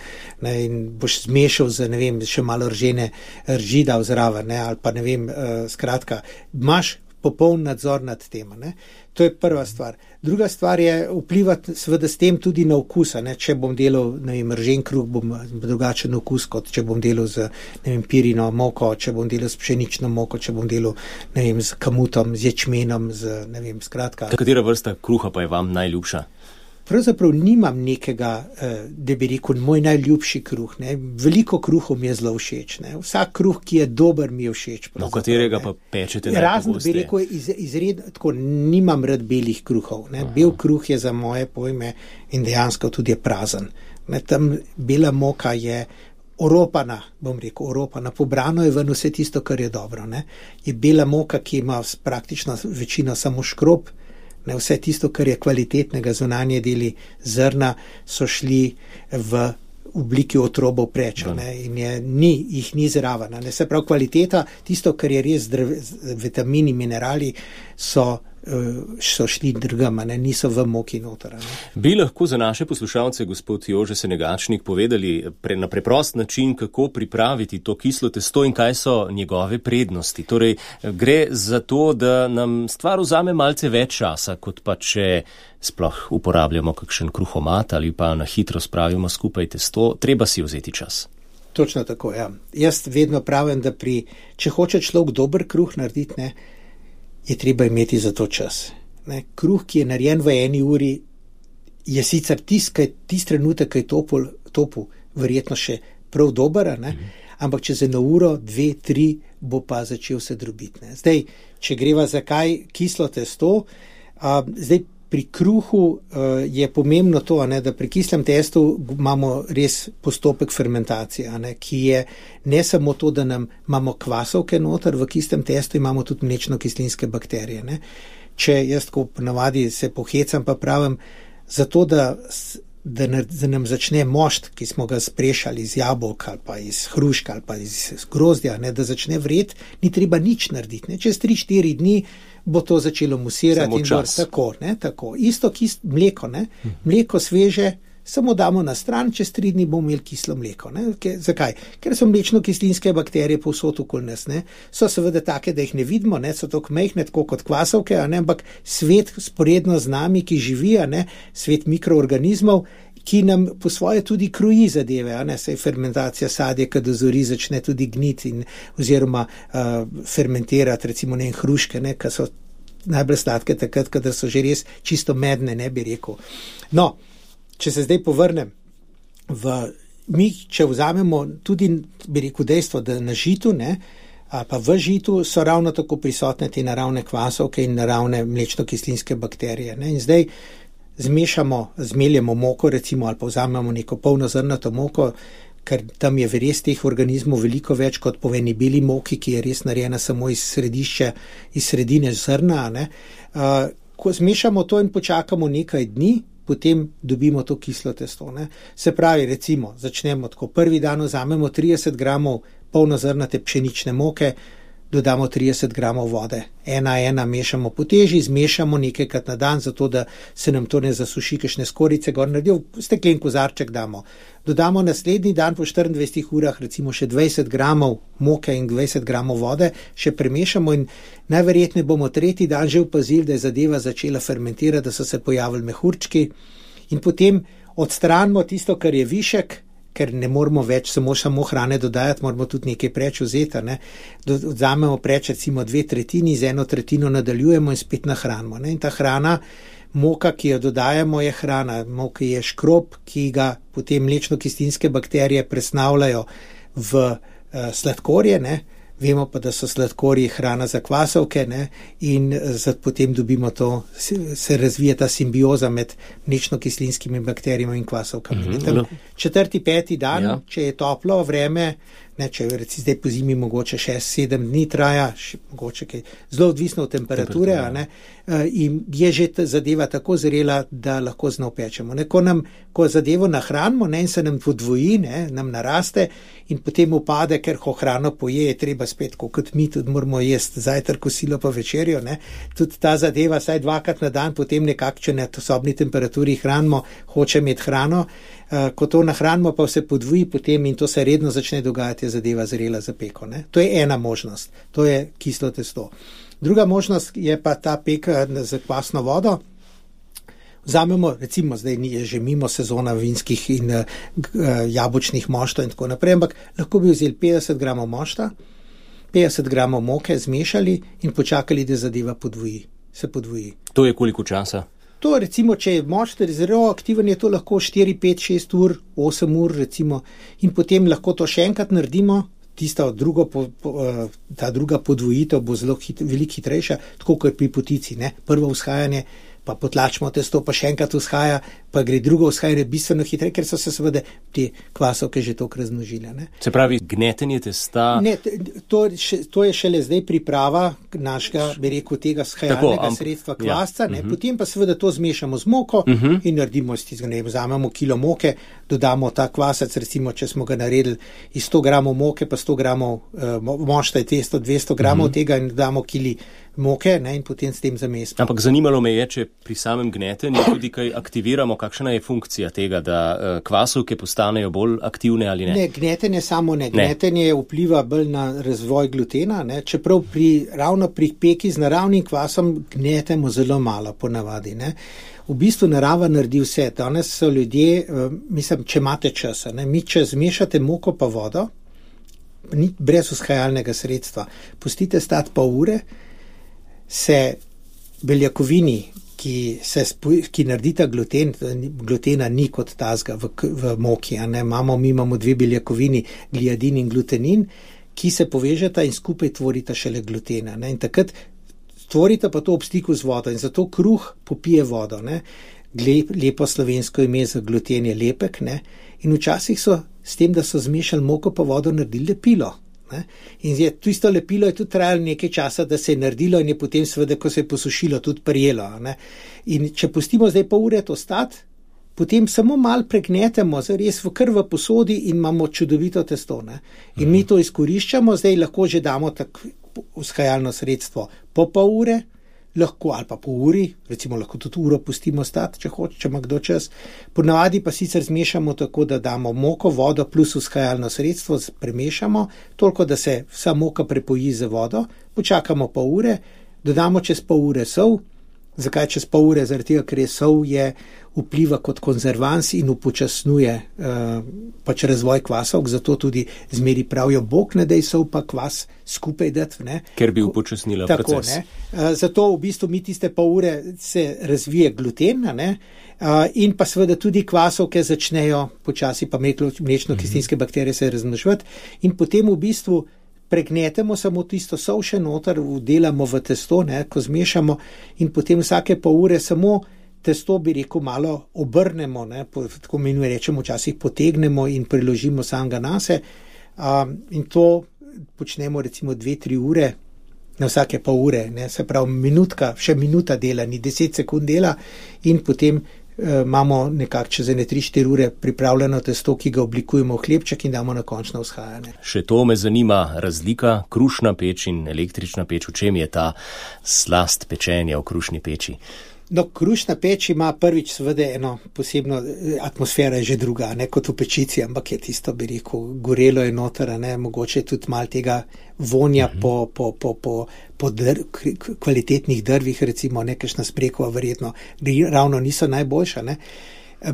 ne? In boš zmešal z, ne vem, še malo ržene ržida vzraven, ne? Ali pa ne vem, uh, skratka, imaš popoln nadzor nad tem. Ne? To je prva stvar. Druga stvar je vplivati seveda s tem tudi na okus. Ne? Če bom delal, ne vem, ržen kruh, bom drugačen okus, kot če bom delal z, ne vem, pirino moko, če bom delal s pšenično moko, če bom delal, ne vem, z kamutom, z ječmenom, z, ne vem, skratka. Katera vrsta kruha pa je vam najljubša? Pravzaprav nimam nekega, da bi rekel, moj najljubši kruh. Ne. Veliko kruhov mi je zelo všeč. Ne. Vsak kruh, ki je dober, mi je všeč. No, katerega pa pečete najpogosteje? Razen, bi rekel, iz, izred, tako, nimam rad belih kruhov. Ne. Bel kruh je za moje pojme in dejansko tudi je prazen. Ne. Tam bela moka je oropana, bom rekel, oropana. Pobrano je ven vse tisto, kar je dobro. Ne. Je bela moka, ki ima praktično večino samo škrob. Ne, vse tisto, kar je kvalitetnega, zunanje deli zrna, so šli v obliki otrobov preča, ne, in je, ni, jih ni zraven. Ne, se pravi, kvaliteta, tisto, kar je res zdrav, vitamini, minerali, so, so šli drugama, ne, niso v moki noter. Ne. Bi lahko za naše poslušalce, gospod Jože Senegačnik, povedali pre, na preprost način, kako pripraviti to kislo testo in kaj so njegove prednosti? Torej, gre za to, da nam stvar vzame malce več časa, kot pa če sploh uporabljamo kakšen kruhomat ali pa na hitro spravimo skupaj testo, treba si vzeti čas. Točno tako, ja. Jaz vedno pravim, da pri, če hoče človek dober kruh narediti, ne, je treba imeti za to čas. Ne, kruh, ki je narejen v eni uri, je sicer tist, tist trenutek, ki je topol, topol, verjetno še prav dober, ne, mm. ampak čez eno uro, dve, tri, bo pa začel se drobiti. Ne. Zdaj, če greva za kaj kislo testo, a, zdaj pri kruhu uh, je pomembno to, ne, da pri kislem testu imamo res postopek fermentacije, ne, ki je ne samo to, da nam imamo kvasovke noter, v kislem testu imamo tudi mlečno-kislinske bakterije. Ne. Če jaz tako ponavadi se pohecam, pa pravim, zato da, da, da nam začne mošt, ki smo ga sprešali iz jabolk ali pa iz hruška ali pa iz grozdja, ne, da začne vreti, ni treba nič narediti. Ne. Čez tri štiri dni bo to začelo musirati. Samo in čas. Bo, tako, ne, tako. Isto kis, mleko, ne. Mleko sveže, samo damo na stran, čez tri dni bomo imeli kislo mleko. Ne. Ke, zakaj? Ker so mlečno-kislinske bakterije povsod okoli nas. Ne. So seveda take, da jih ne vidimo, ne. So tako majhne, tako kot kvasovke, a ne. Ampak svet sporedno z nami, ki živi, a ne. Svet mikroorganizmov, ki nam po svoje tudi kroji zadeve, a ne, saj fermentacija sadja, kad dozori, začne tudi gniti in oziroma uh, fermentirati, recimo ne hruške, ne, ki so najbolj sladke takrat, kadar so že res čisto medne, ne bi rekel. No, če se zdaj povrnem v, mi, če vzamemo tudi, bi rekel, dejstvo, da na žitu, ne, a pa v žitu so ravno tako prisotne te naravne kvasovke in naravne mlečno-kislinske bakterije, ne, in zdaj zmešamo, zmeljemo moko, recimo, ali pa vzamemo neko polnozrnato moko, ker tam je res teh organizmov veliko več kot po eni beli moki, ki je res narejena samo iz središča, iz sredine zrna. Ne. Uh, ko zmešamo to in počakamo nekaj dni, potem dobimo to kislo testo. Ne. Se pravi, recimo, začnemo tako, prvi dan vzamemo trideset gramov polnozrnate pšenične moke, dodamo trideset gramov vode. Ena, ena mešamo po teži, zmešamo nekajkrat na dan, zato da se nam to ne zasuši, kakšne skorice gor naredijo, steklen kozarček damo. Dodamo naslednji dan po štiriindvajsetih urah recimo še dvajset gramov moke in dvajset gramov vode, še premešamo in najverjetneje bomo tretji dan že opazili, da je zadeva začela fermentirati, da so se pojavili mehurčki in potem odstranimo tisto, kar je višek, ker ne moramo več samo, samo hrane dodajati, moramo tudi nekaj preč vzeti. Ne? Odzamemo preč recimo dve tretjini, z eno tretjino nadaljujemo in spet nahranimo. Ne? In ta hrana, moka, ki jo dodajamo, je hrana. Moka je škrob, ki ga potem mlečno-kislinske bakterije presnavljajo v uh, sladkorje, ne? Vemo pa, da so sladkorji hrana za kvasovke, ne? In zato potem dobimo to, se razvija ta simbioza med mlečno-kislinskimi bakterijami in kvasovkami. Mm-hmm. Četrti, peti dan, ja. Če je toplo vreme, ne, če recimo zdaj po zimi mogoče šest, sedem dni traja, še, mogoče kaj, zelo odvisno od temperature, a ne, in je že zadeva tako zrela, da lahko znov pečemo. Ne, ko nam, ko zadevo nahranimo, ne, in se nam podvoji, ne, nam naraste in potem upade, ker ko hrano poje, je treba spet, kot mi tudi moramo jesti zajtrk, kosilo pa večerjo, ne, tudi ta zadeva saj dvakrat na dan, potem nekako, če na sobni temperaturi hranimo, hoče imeti hrano, ko to nahranimo, pa se podvoji potem in to se redno začne dogajati, je zadeva zrela za peko. Ne? To je ena možnost, to je kislo testo. Druga možnost je pa ta peka z kvasno vodo. Vzamemo, recimo, zdaj je že mimo sezona vinskih in uh, jabolčnih moštov in tako naprej, ampak lahko bi vzeli petdeset gramov mošta, petdeset gramov moke, zmešali in počakali, da zadeva podvoji, se podvoji. To je koliko časa? To recimo, če je mošt zelo aktiven, je to lahko štiri, pet, šest ur, osem ur recimo in potem lahko to še enkrat naredimo, tista drugo, po, po, ta druga podvojitev bo zelo hit, veliko hitrejša, tako kot pri potici, ne, prvo vzhajanje, pa potlačimo testo, pa še enkrat vzhaja, pa gre drugo vzhajanje bistveno hitreje, ker so se seveda te kvasovke že toliko razmnožile. Ne. Se pravi, gnetenje testa... Ne, to, še, to je šele zdaj priprava našega, bi rekel, tega vzhajalnega amp... sredstva kvasca, ja. Ne, uh-huh. Potem pa seveda to zmešamo z moko uh-huh. in naredimo iz tistega, ne, vzamemo kilo moke, dodamo ta kvasec, recimo, če smo ga naredili iz sto gramov moke, pa sto gramov uh, mošta je testo, dvesto gramov uh-huh. tega in dodamo kili moke, ne, in potem s tem zamesimo. Ampak zanimalo me je, če pri samem gnetenju tudi kaj aktiviramo, kakšna je funkcija tega, da uh, kvasovke postanejo bolj aktivne ali ne? Ne, gnetenje samo ne. Gnetenje ne. Vpliva bolj na razvoj glutena, ne, čeprav pri, ravno pri peki z naravnim kvasom gnetemo zelo malo ponavadi, ne. V bistvu narava naredi vse. Danes so ljudje, uh, mislim, če imate časa, ne, mi če zmešate moko pa vodo, ni brez vzhajalnega sredstva, pustite stati pol ure, se beljakovini, ki, se, ki naredita gluten, glutena ni kot tazga v, v moki, a ne, imamo, mi imamo dve beljakovini, gliadin in glutenin, ki se povežeta in skupaj tvorita šele glutena, ne, in takrat tvorita pa to ob stiku z vodo in zato kruh popije vodo, ne, Lep, lepo slovensko ime za gluten je lepek, ne, in včasih so s tem, da so zmešali moko pa vodo, naredili lepilo. Ne? In je, tisto lepilo je tudi trajalo nekaj časa, da se je naredilo in je potem seveda, ko se je posušilo, tudi prijelo. Ne? In če pustimo zdaj pol ure to stati, potem samo malo pregnetemo, res v kar v posodi in imamo čudovito testo. Ne? In mhm. mi to izkoriščamo, zdaj lahko že damo tako vzhajalno sredstvo po pol ure, lahko ali pa po uri, recimo lahko tudi uro pustimo stati, če hoče, če ima kdo čas. Ponavadi pa sicer zmešamo tako, da damo moko, vodo plus vzhajalno sredstvo, premešamo, toliko, da se vsa moka prepoji z vodo, počakamo pol ure, dodamo čez pol ure sol. Zakaj čez pol ure? Zaradi tega, ker je sol je vpliva kot konzervans in upočasnjuje uh, pač razvoj kvasov, zato tudi zmeri pravijo, Bog ne daj sol pa kvas skupaj dati. Ne? Ker bi upočasnila Tako, proces. Ne? Uh, zato v bistvu mi tiste pol ure se razvije gluten, ne? Uh, in pa seveda tudi kvasovke začnejo počasi pa mlečno-kislinske mm-hmm. bakterije se razmnoževati in potem v bistvu pregnetemo samo tisto sol še noter, vdelamo v testo, ne, ko zmešamo in potem vsake pol ure samo testo, bi rekel, malo obrnemo, ne, po, tako menuje rečemo, včasih potegnemo in priložimo samega nase. Um, in to počnemo recimo dve, tri ure, na vsake pa ure, ne, se pravi minutka, še minuta dela, ni deset sekund dela in potem uh, imamo nekako čez ene tri, štiri ure pripravljeno testo, ki ga oblikujemo v hlebček in damo na končno vzhajanje. Še to me zanima, razlika krušna peč in električna peč, v čem je ta slast pečenja v krušni peči? No, krušna peč ima prvič seveda eno posebno, atmosfera je že druga, ne kot v pečici, ampak je tisto, bi rekel, gorelo je noter, ne, mogoče tudi malo tega vonja uh-huh. po, po, po, po, po dr, kvalitetnih drvih, recimo nekakšna smrekova verjetno, ravno niso najboljša, ne.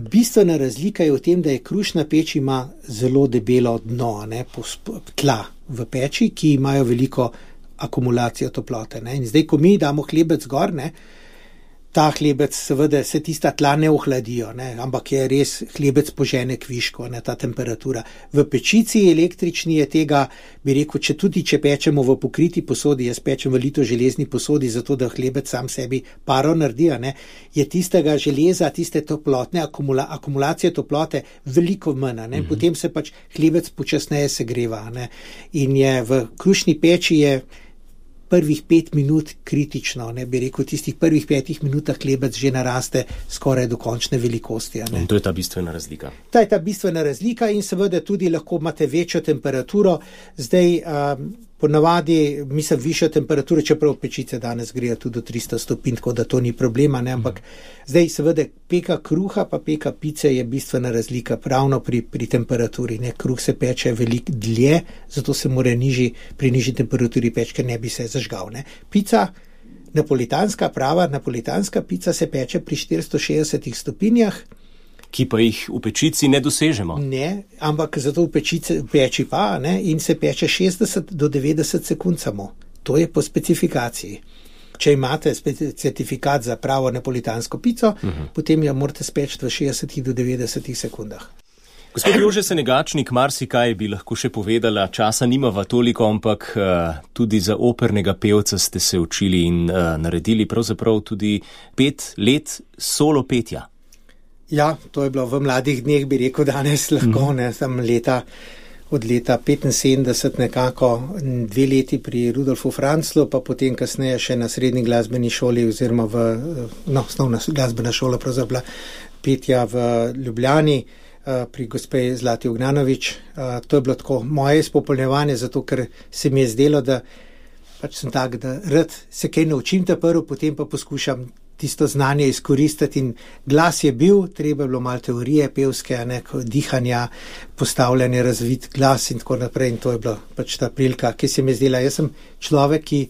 Bistvena razlika je v tem, da je krušna peč ima zelo debelo dno, ne, tla v peči, ki imajo veliko akumulacijo toplote, ne. In zdaj, ko mi damo hlebec gor, ne, ta hlebec, seveda, se tista tla ne ohladijo, ne, ampak je res hlebec požene kviško, ne, ta temperatura. V pečici električni je tega, bi rekel, če tudi če pečemo v pokriti posodi, jaz pečem v lito železni posodi, zato da hlebec sam sebi paro naredi, ne, je tistega železa, tiste toplotne akumula, akumulacije toplote veliko manj, ne, mm-hmm. potem se pač hlebec počasneje segreva, ne, in je v krušni peči je prvih pet minut kritično, ne, bi rekel, v tistih prvih petih minutah hlebec že naraste skoraj do končne velikosti. Ne. In to je ta bistvena razlika. Ta je ta bistvena razlika in seveda tudi lahko imate večjo temperaturo. Zdaj, um, ponavadi, mislim, višjo temperaturo, čeprav pečice danes grejo tudi do tristo stopinj, tako da to ni problema, ne, ampak mm. zdaj seveda peka kruha pa peka pice je bistvena razlika ravno pri, pri temperaturi, ne, kruh se peče veliko dlje, zato se mora nižji, pri nižji temperaturi peč, ker ne bi se zažgal, ne. Pica, napolitanska, prava napolitanska pica se peče pri štiristo šestdesetih stopinjah, ki pa jih v pečici ne dosežemo. Ne, ampak zato v pečici, peči pa, ne, in se peče šestdeset do devetdeset sekund samo. To je po specifikaciji. Če imate certifikat za pravo napolitansko pico, uh-huh. potem jo morate speči v šestdesetih do devetdesetih sekundah. Gospod Jože Senegačnik, marsikaj bi lahko še povedala, časa nimava toliko, ampak uh, tudi za opernega pevca ste se učili in uh, naredili pravzaprav tudi pet let solo petja. Ja, to je bilo v mladih dneh, bi rekel danes lahko, ne, sem leta, od leta petinsedemdeset nekako, dve leti pri Rudolfu Franzlu, pa potem kasneje še na srednji glasbeni šoli oziroma v, no, osnovna glasbena šola pravzaprav petja v Ljubljani, pri gospe Zlati Ognjanović. To je bilo tako moje izpopolnjevanje, zato ker se mi je zdelo, da pač sem tak, da rad se kaj naučim ta prvo, potem pa poskušam tisto znanje izkoristiti in glas je bil, treba je bilo malo teorije pevske, neko dihanja, postavljanje, razvit glas in tako naprej in to je bila pač ta prilika, ki se mi je zdela. Jaz sem človek, ki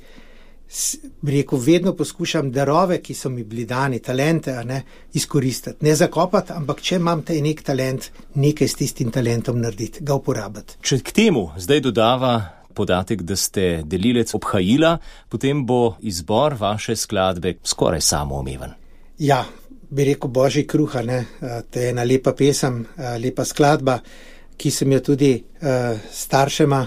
bi rekel, vedno poskušam darove, ki so mi bili dani, talente, a ne, izkoristiti. Ne zakopati, ampak če imam te nek talent, nekaj s tistim talentom narediti, ga uporabiti. Če k temu zdaj dodava podatek, da ste delilec obhajila, potem bo izbor vaše skladbe skoraj samoomeven. Ja, bi rekel Božji kruha, ne, to je ena lepa pesem, lepa skladba, ki sem jo tudi uh, staršema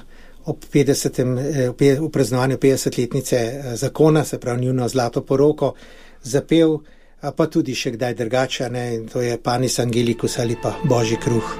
ob petdesetem, v praznovanju petdesetletnice zakona, se pravi njuno zlato poroko, zapel, pa tudi še kdaj drugače, ne, in to je Panis Angelicus ali pa Božji kruh.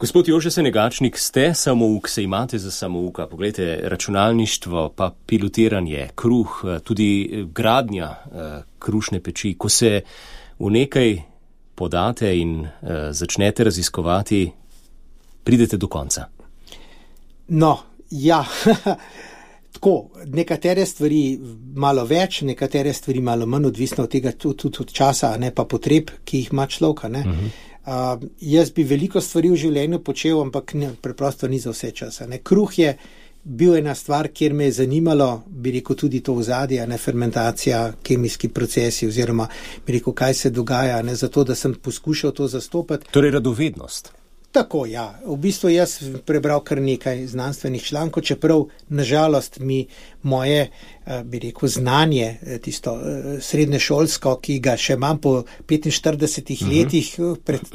Gospod Jože Senegačnik, ste samouk, se imate za samouka. Poglejte, računalništvo, pa pilotiranje, kruh, tudi gradnja krušne peči. Ko se v nekaj podate in začnete raziskovati, pridete do konca. No, ja, tako, nekatere stvari malo več, nekatere stvari malo manj, odvisno od tega tudi od časa, ne pa potreb, ki jih ima človek, ne. Uh-huh. Uh, jaz bi veliko stvari v življenju počel, ampak ne, preprosto ni za vse časa. Ne. Kruh je bil ena stvar, kjer me je zanimalo, bi rekel tudi to ozadje, ne, fermentacija, kemijski procesi oziroma bi rekel, kaj se dogaja, ne, zato da sem poskušal to zastopati. Torej radovednost. Tako, ja. V bistvu jaz prebral kar nekaj znanstvenih člankov, čeprav nažalost mi moje, bi rekel, znanje, tisto srednješolsko, ki ga še imam po petinštiridesetih uh-huh. letih, pred,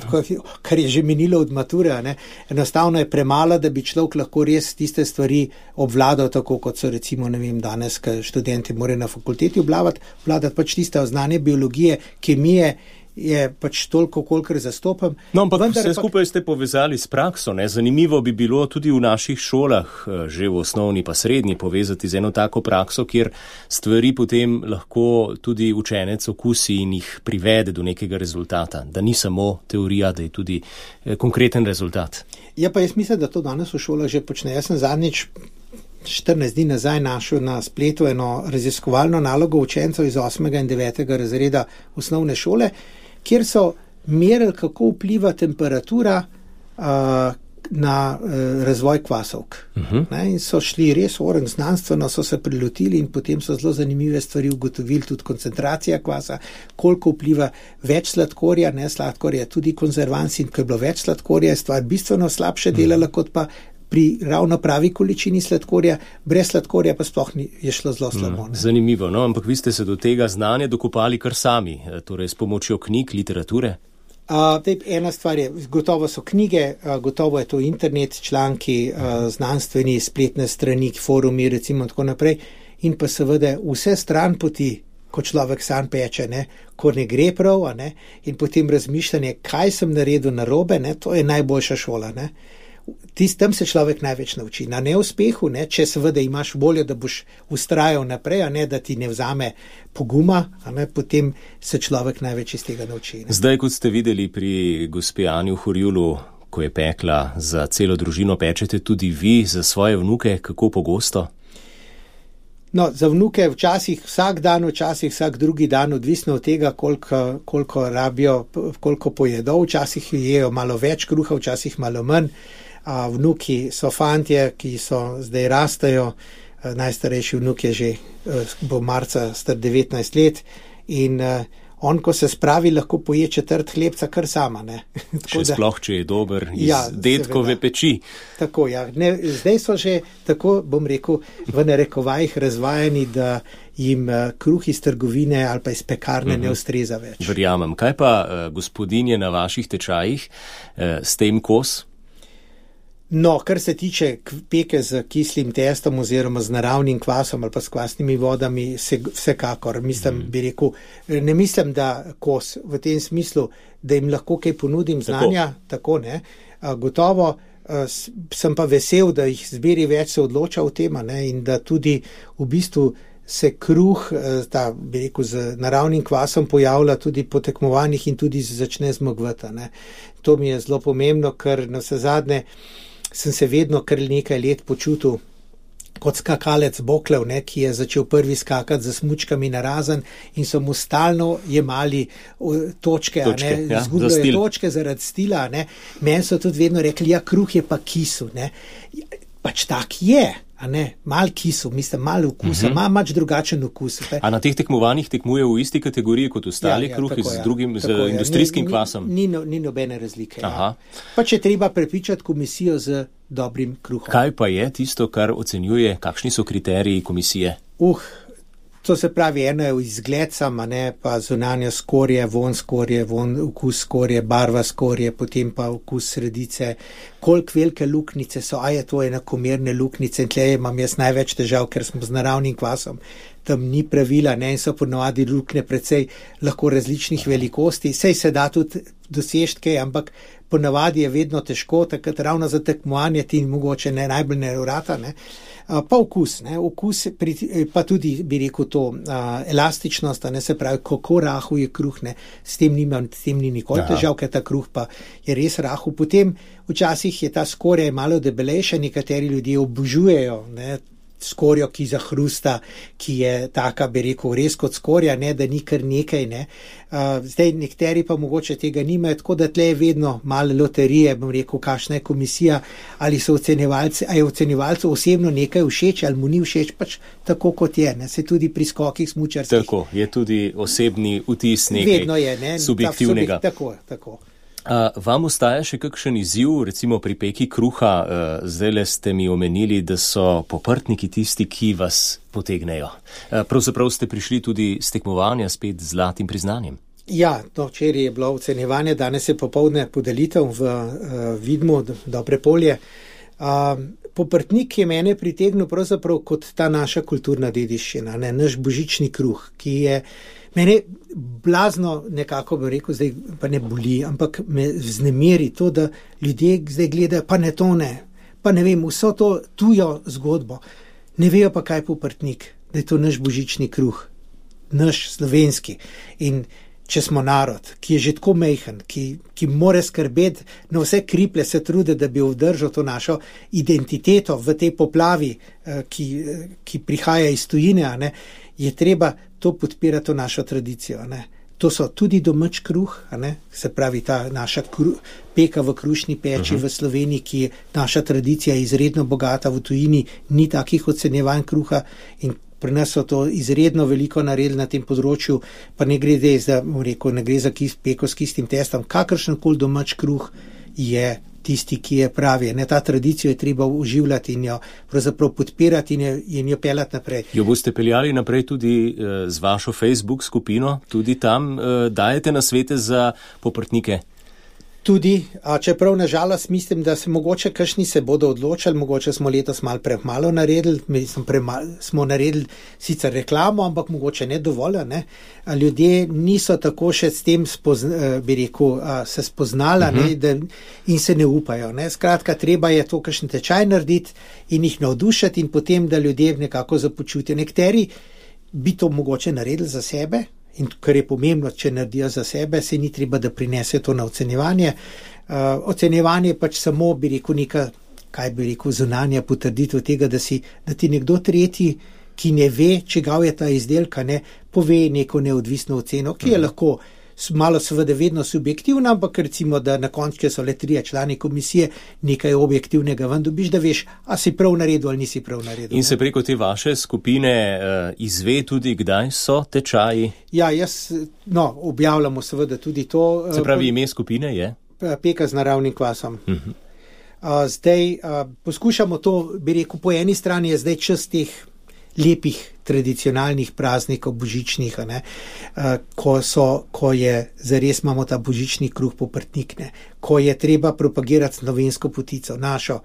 kar je že minilo od mature, ne, enostavno je premalo, da bi človek lahko res tiste stvari obvladal, tako kot so recimo, ne vem, danes, ko študenti morajo na fakulteti obvladati, obvladati pač tiste znanje biologije, kemije, je pač toliko, kolikor zastopam. No, ampak vse skupaj ste povezali s prakso, ne? Zanimivo bi bilo tudi v naših šolah, že v osnovni pa srednji, povezati z eno tako prakso, kjer stvari potem lahko tudi učenec okusi in jih privede do nekega rezultata. Da ni samo teorija, da je tudi konkreten rezultat. Ja, pa jaz mislim, da to danes v šolah že počne. Jaz sem zadnjič štirinajst dni nazaj našel na spletu eno raziskovalno nalogo učencev iz osmega in devetega razreda osnovne šole, kjer so merili, kako vpliva temperatura uh, na uh, razvoj kvasovk. Uh-huh. Ne, in so šli res oren znanstveno, so se prilotili in potem so zelo zanimive stvari ugotovili, tudi koncentracija kvasa, koliko vpliva več sladkorja, ne, sladkorja tudi konzervans, in ko je bilo več sladkorja, je stvar bistveno slabše delala, uh-huh. kot pa pri ravno pravi količini sladkorja, brez sladkorja pa sploh ni, je šlo zelo slabo. Mm, zanimivo, no, ampak vi ste se do tega znanja dokopali kar sami, torej s pomočjo knjig, literature? Uh, tej, ena stvar je, gotovo so knjige, uh, gotovo je to internet, članki, uh, znanstveni, spletne strani, forumi, recimo tako naprej, in pa seveda vse stran poti, ko človek sam peče, ne, ko ne gre prav, a ne, in potem razmišljanje, kaj sem naredil narobe, ne, to je najboljša šola, ne. Tist, tam se človek največ nauči. Na neuspehu, ne, če seveda imaš voljo, da boš ustrajal naprej, a ne, da ti ne vzame poguma, a ne, potem se človek največ iz tega nauči. Ne. Zdaj, kot ste videli pri gospe Anji v Horjulu, ko je pekla za celo družino, pečete tudi vi za svoje vnuke, kako pogosto? No, za vnuke včasih vsak dan, včasih vsak drugi dan, odvisno od tega, koliko, koliko rabijo, koliko pojedo, včasih jejo malo več kruha, včasih malo manj. A vnuki so fantje, ki so zdaj rastajo, najstarejši vnuk je že, bo marca star devetnajst let in on, ko se spravi, lahko poje četrt hlebca kar sama, ne. Še sploh, če je dober iz ja, dedkove peči. Tako, ja. Ne, zdaj so že, tako bom rekel, v narekovajih razvajeni, da jim kruh iz trgovine ali pa iz pekarne uh-huh. ne ustreza več. Verjamem. Kaj pa gospodinje na vaših tečajih, s tem kos? No, kar se tiče peke z kislim testom oziroma z naravnim kvasom ali pa s kvasnimi vodami, se, vsekakor, mislim, bi rekel, ne mislim, da kos v tem smislu, da jim lahko kaj ponudim znanja, tako, tako ne, a, gotovo a, sem pa vesel, da jih zberi več se odloča o tem, ne, in da tudi v bistvu se kruh, ta, bi rekel, z naravnim kvasom pojavlja tudi po tekmovanjih in tudi začne zmagvati, ne. To mi je zelo pomembno, ker na vse zadnje sem se vedno kar nekaj let počutil kot skakalec boklev, ne, ki je začel prvi skakati z smučkami na razen in so mu stalno jemali točke, točke a ne, ja, izgubljali točke zaradi stila, ne. Meni so tudi vedno rekli, ja, kruh je pa kisu, ne. Pač tak je, a ne, mal kisu, mislim, mal okusa, ima uh-huh. mač drugačen okus. Pe. A na teh tekmovanjih tekmuje v isti kategoriji kot ostali ja, ja, kruh z ja, drugim, z tako, industrijskim ja. ni, kvasom? Ni, ni, ni nobene razlike. Ja. Pa če treba prepričati komisijo z dobrim kruhom. Kaj pa je tisto, kar ocenjuje, kakšni so kriteriji komisije? Uh, to se pravi, eno je izgled sama, ne, pa zunanja skorje, von skorje, von okus skorje, barva skorje, potem pa okus sredice, koliko velike luknice so, a je to enakomerne luknice, in tle imam jaz največ težav, ker smo z naravnim kvasom tam ni pravila, ne, in so ponovadi luknje precej lahko različnih velikosti. Sej se da tudi dosežiti kaj, ampak ponavadi je vedno težko, takrat ravno za tekmovanje ti mogoče ne najbolj ne vrata, ne. Pa okus, ne, okus, pa tudi bi rekel to a, elastičnost, ne, se pravi, kako rahu je kruh, ne, s tem nima, s tem ni nikoli težav, ker ta kruh pa je res rahu. Potem včasih je ta skorja malo debelejša, nekateri ljudje obožujejo, ne, skorjo, ki zahrusta, ki je taka, bi rekel, res kot skorja, ne, da ni kar nekaj, ne. Uh, zdaj nekateri pa mogoče tega nimajo, tako da tle je vedno malo loterije, bom rekel, kakšna je komisija, ali so ocenjevalci, ali je ocenjevalcu osebno nekaj všeč, ali mu ni všeč, pač tako kot je, ne, se tudi pri skokih smučarskih. Tako, je tudi osebni vtis nekaj vedno je, ne, subjektivnega. Ta, tako, tako. Uh, vam ostaja še kakšen izziv, recimo pri peki kruha? Uh, zdajle ste mi omenili, da so poprtniki tisti, ki vas potegnejo. Uh, pravzaprav ste prišli tudi s tekmovanja spet z zlatim priznanjem. Ja, no, včeraj je bilo ocenjevanje, danes je popoldne podelitev v uh, Vidmu, Dobre polje. Uh, poprtnik je mene pritegnil pravzaprav kot ta naša kulturna dediščina, ne, naš božični kruh, ki je mene blazno nekako, bi rekel, zdaj pa ne boli, ampak me vznemiri to, da ljudje zdaj gledajo, pa ne to ne, pa ne vem, vso to tujo zgodbo, ne vejo pa kaj poprtnik, da je to naš božični kruh, naš slovenski. In če smo narod, ki je že tako mejhen, ki, ki more skrbeti na vse kriple, se trude, da bi vdržal to našo identiteto v tej poplavi, ki, ki prihaja iz tujine, a ne, je treba to podpirati to našo tradicijo, ne. To so tudi domač kruh, a ne, se pravi ta naša kruh, peka v krušni peči uh-huh. v Sloveniji, ki je naša tradicija izredno bogata, v tujini ni takih ocenjevanj kruha in pri nas so to izredno veliko naredili na tem področju, pa ne gre za, rekel, ne gre za kis, peko s kistim testom, kakršenkoli domač kruh je tisti, ki je pravi. Ne, ta tradicijo je treba uživljati in jo pravzaprav podpirati in jo, in jo peljati naprej. Jo boste peljali naprej tudi uh, z vašo Facebook skupino, tudi tam uh, dajete nasvete za poprtnike? Tudi, a čeprav nažalost mislim, da se mogoče kakšni se bodo odločili, mogoče smo letos malo premalo naredili, mislim, premalo, smo naredili sicer reklamo, ampak mogoče ne dovolj, ne. A ljudje niso tako še s tem spozna, bi rekel, se spoznala, uh-huh. ne, da, in se ne upajo. Ne. Skratka, treba je to kakšen tečaj narediti in jih navdušati in potem, da ljudje nekako započutijo. Nekateri bi to mogoče naredili za sebe, in kar je pomembno, če naredijo za sebe, se ni treba, da prinese to na ocenjevanje. Uh, ocenjevanje pač samo, bi rekel, neka, kaj bi rekel, zunanja potrditev tega, da, si, da ti nekdo tretji, ki ne ve, čigav je ta izdelka, ne, pove neko neodvisno oceno, ki je lahko malo seveda vedno subjektivna, ampak recimo, da na koncu, če so le trije člani komisije, nekaj objektivnega ven dobiš, da veš, a si prav naredil ali nisi prav naredil. In se preko te vaše skupine uh, izve tudi, kdaj so tečaji? Ja, jaz, no, objavljamo seveda tudi to. Se pravi, ime skupine je? Peka z naravnim kvasom. Uh-huh. Uh, zdaj, uh, poskušamo to, bi rekel, po eni strani je zdaj čas teh lepih tradicionalnih praznikov, božičnih, ne, ko, so, ko je zares imamo ta božični kruh poprtnik, ne, ko je treba propagirati slovensko potico, našo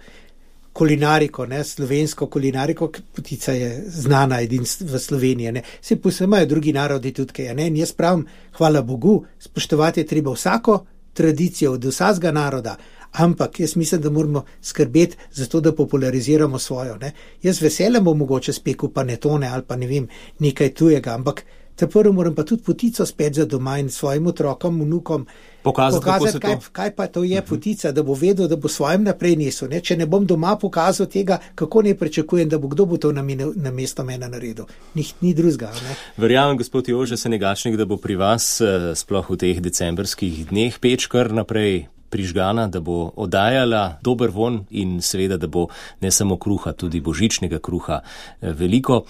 kulinariko, ne, slovensko kulinariko, potica je znana edin v Sloveniji, ne, se posemajo drugi narodi tudi, kaj, ne, in jaz pravim, hvala Bogu, spoštovati je treba vsako tradicijo od vsakega naroda, ampak jaz mislim, da moramo skrbeti za to, da populariziramo svojo. Ne. Jaz veselem bom mogoče spekel panetone ali pa ne vem, nekaj tujega, ampak te prvo moram pa tudi potico spet za doma in svojim otrokom, vnukom pokazati, pokazati kaj, kaj pa to je potica, da bo vedel, da bo svojim naprej nesel. Ne. Če ne bom doma pokazal tega, kako ne pričakujem, da bo kdo bo to na, mene, na mesto mene naredil. Nih, ni drugega. Ne. Verjamem, gospod Jože Senegačnik, da bo pri vas sploh v teh decembrskih dneh peč kar naprej prižgana, da bo oddajala dober von in seveda, da bo ne samo kruha, tudi božičnega kruha veliko.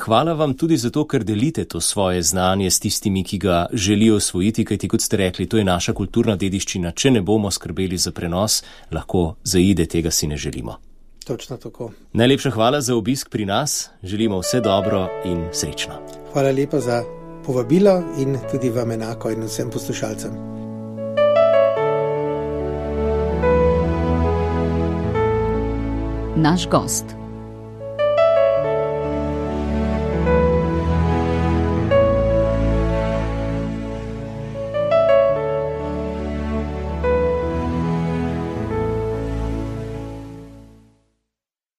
Hvala vam tudi za to, ker delite to svoje znanje s tistimi, ki ga želijo osvojiti, kajti kot ste rekli, to je naša kulturna dediščina. Če ne bomo skrbeli za prenos, lahko zaide, tega si ne želimo. Točno tako. Najlepša hvala za obisk pri nas, želimo vse dobro in srečno. Hvala lepa za povabilo in tudi vam enako in vsem poslušalcem. Naš gost.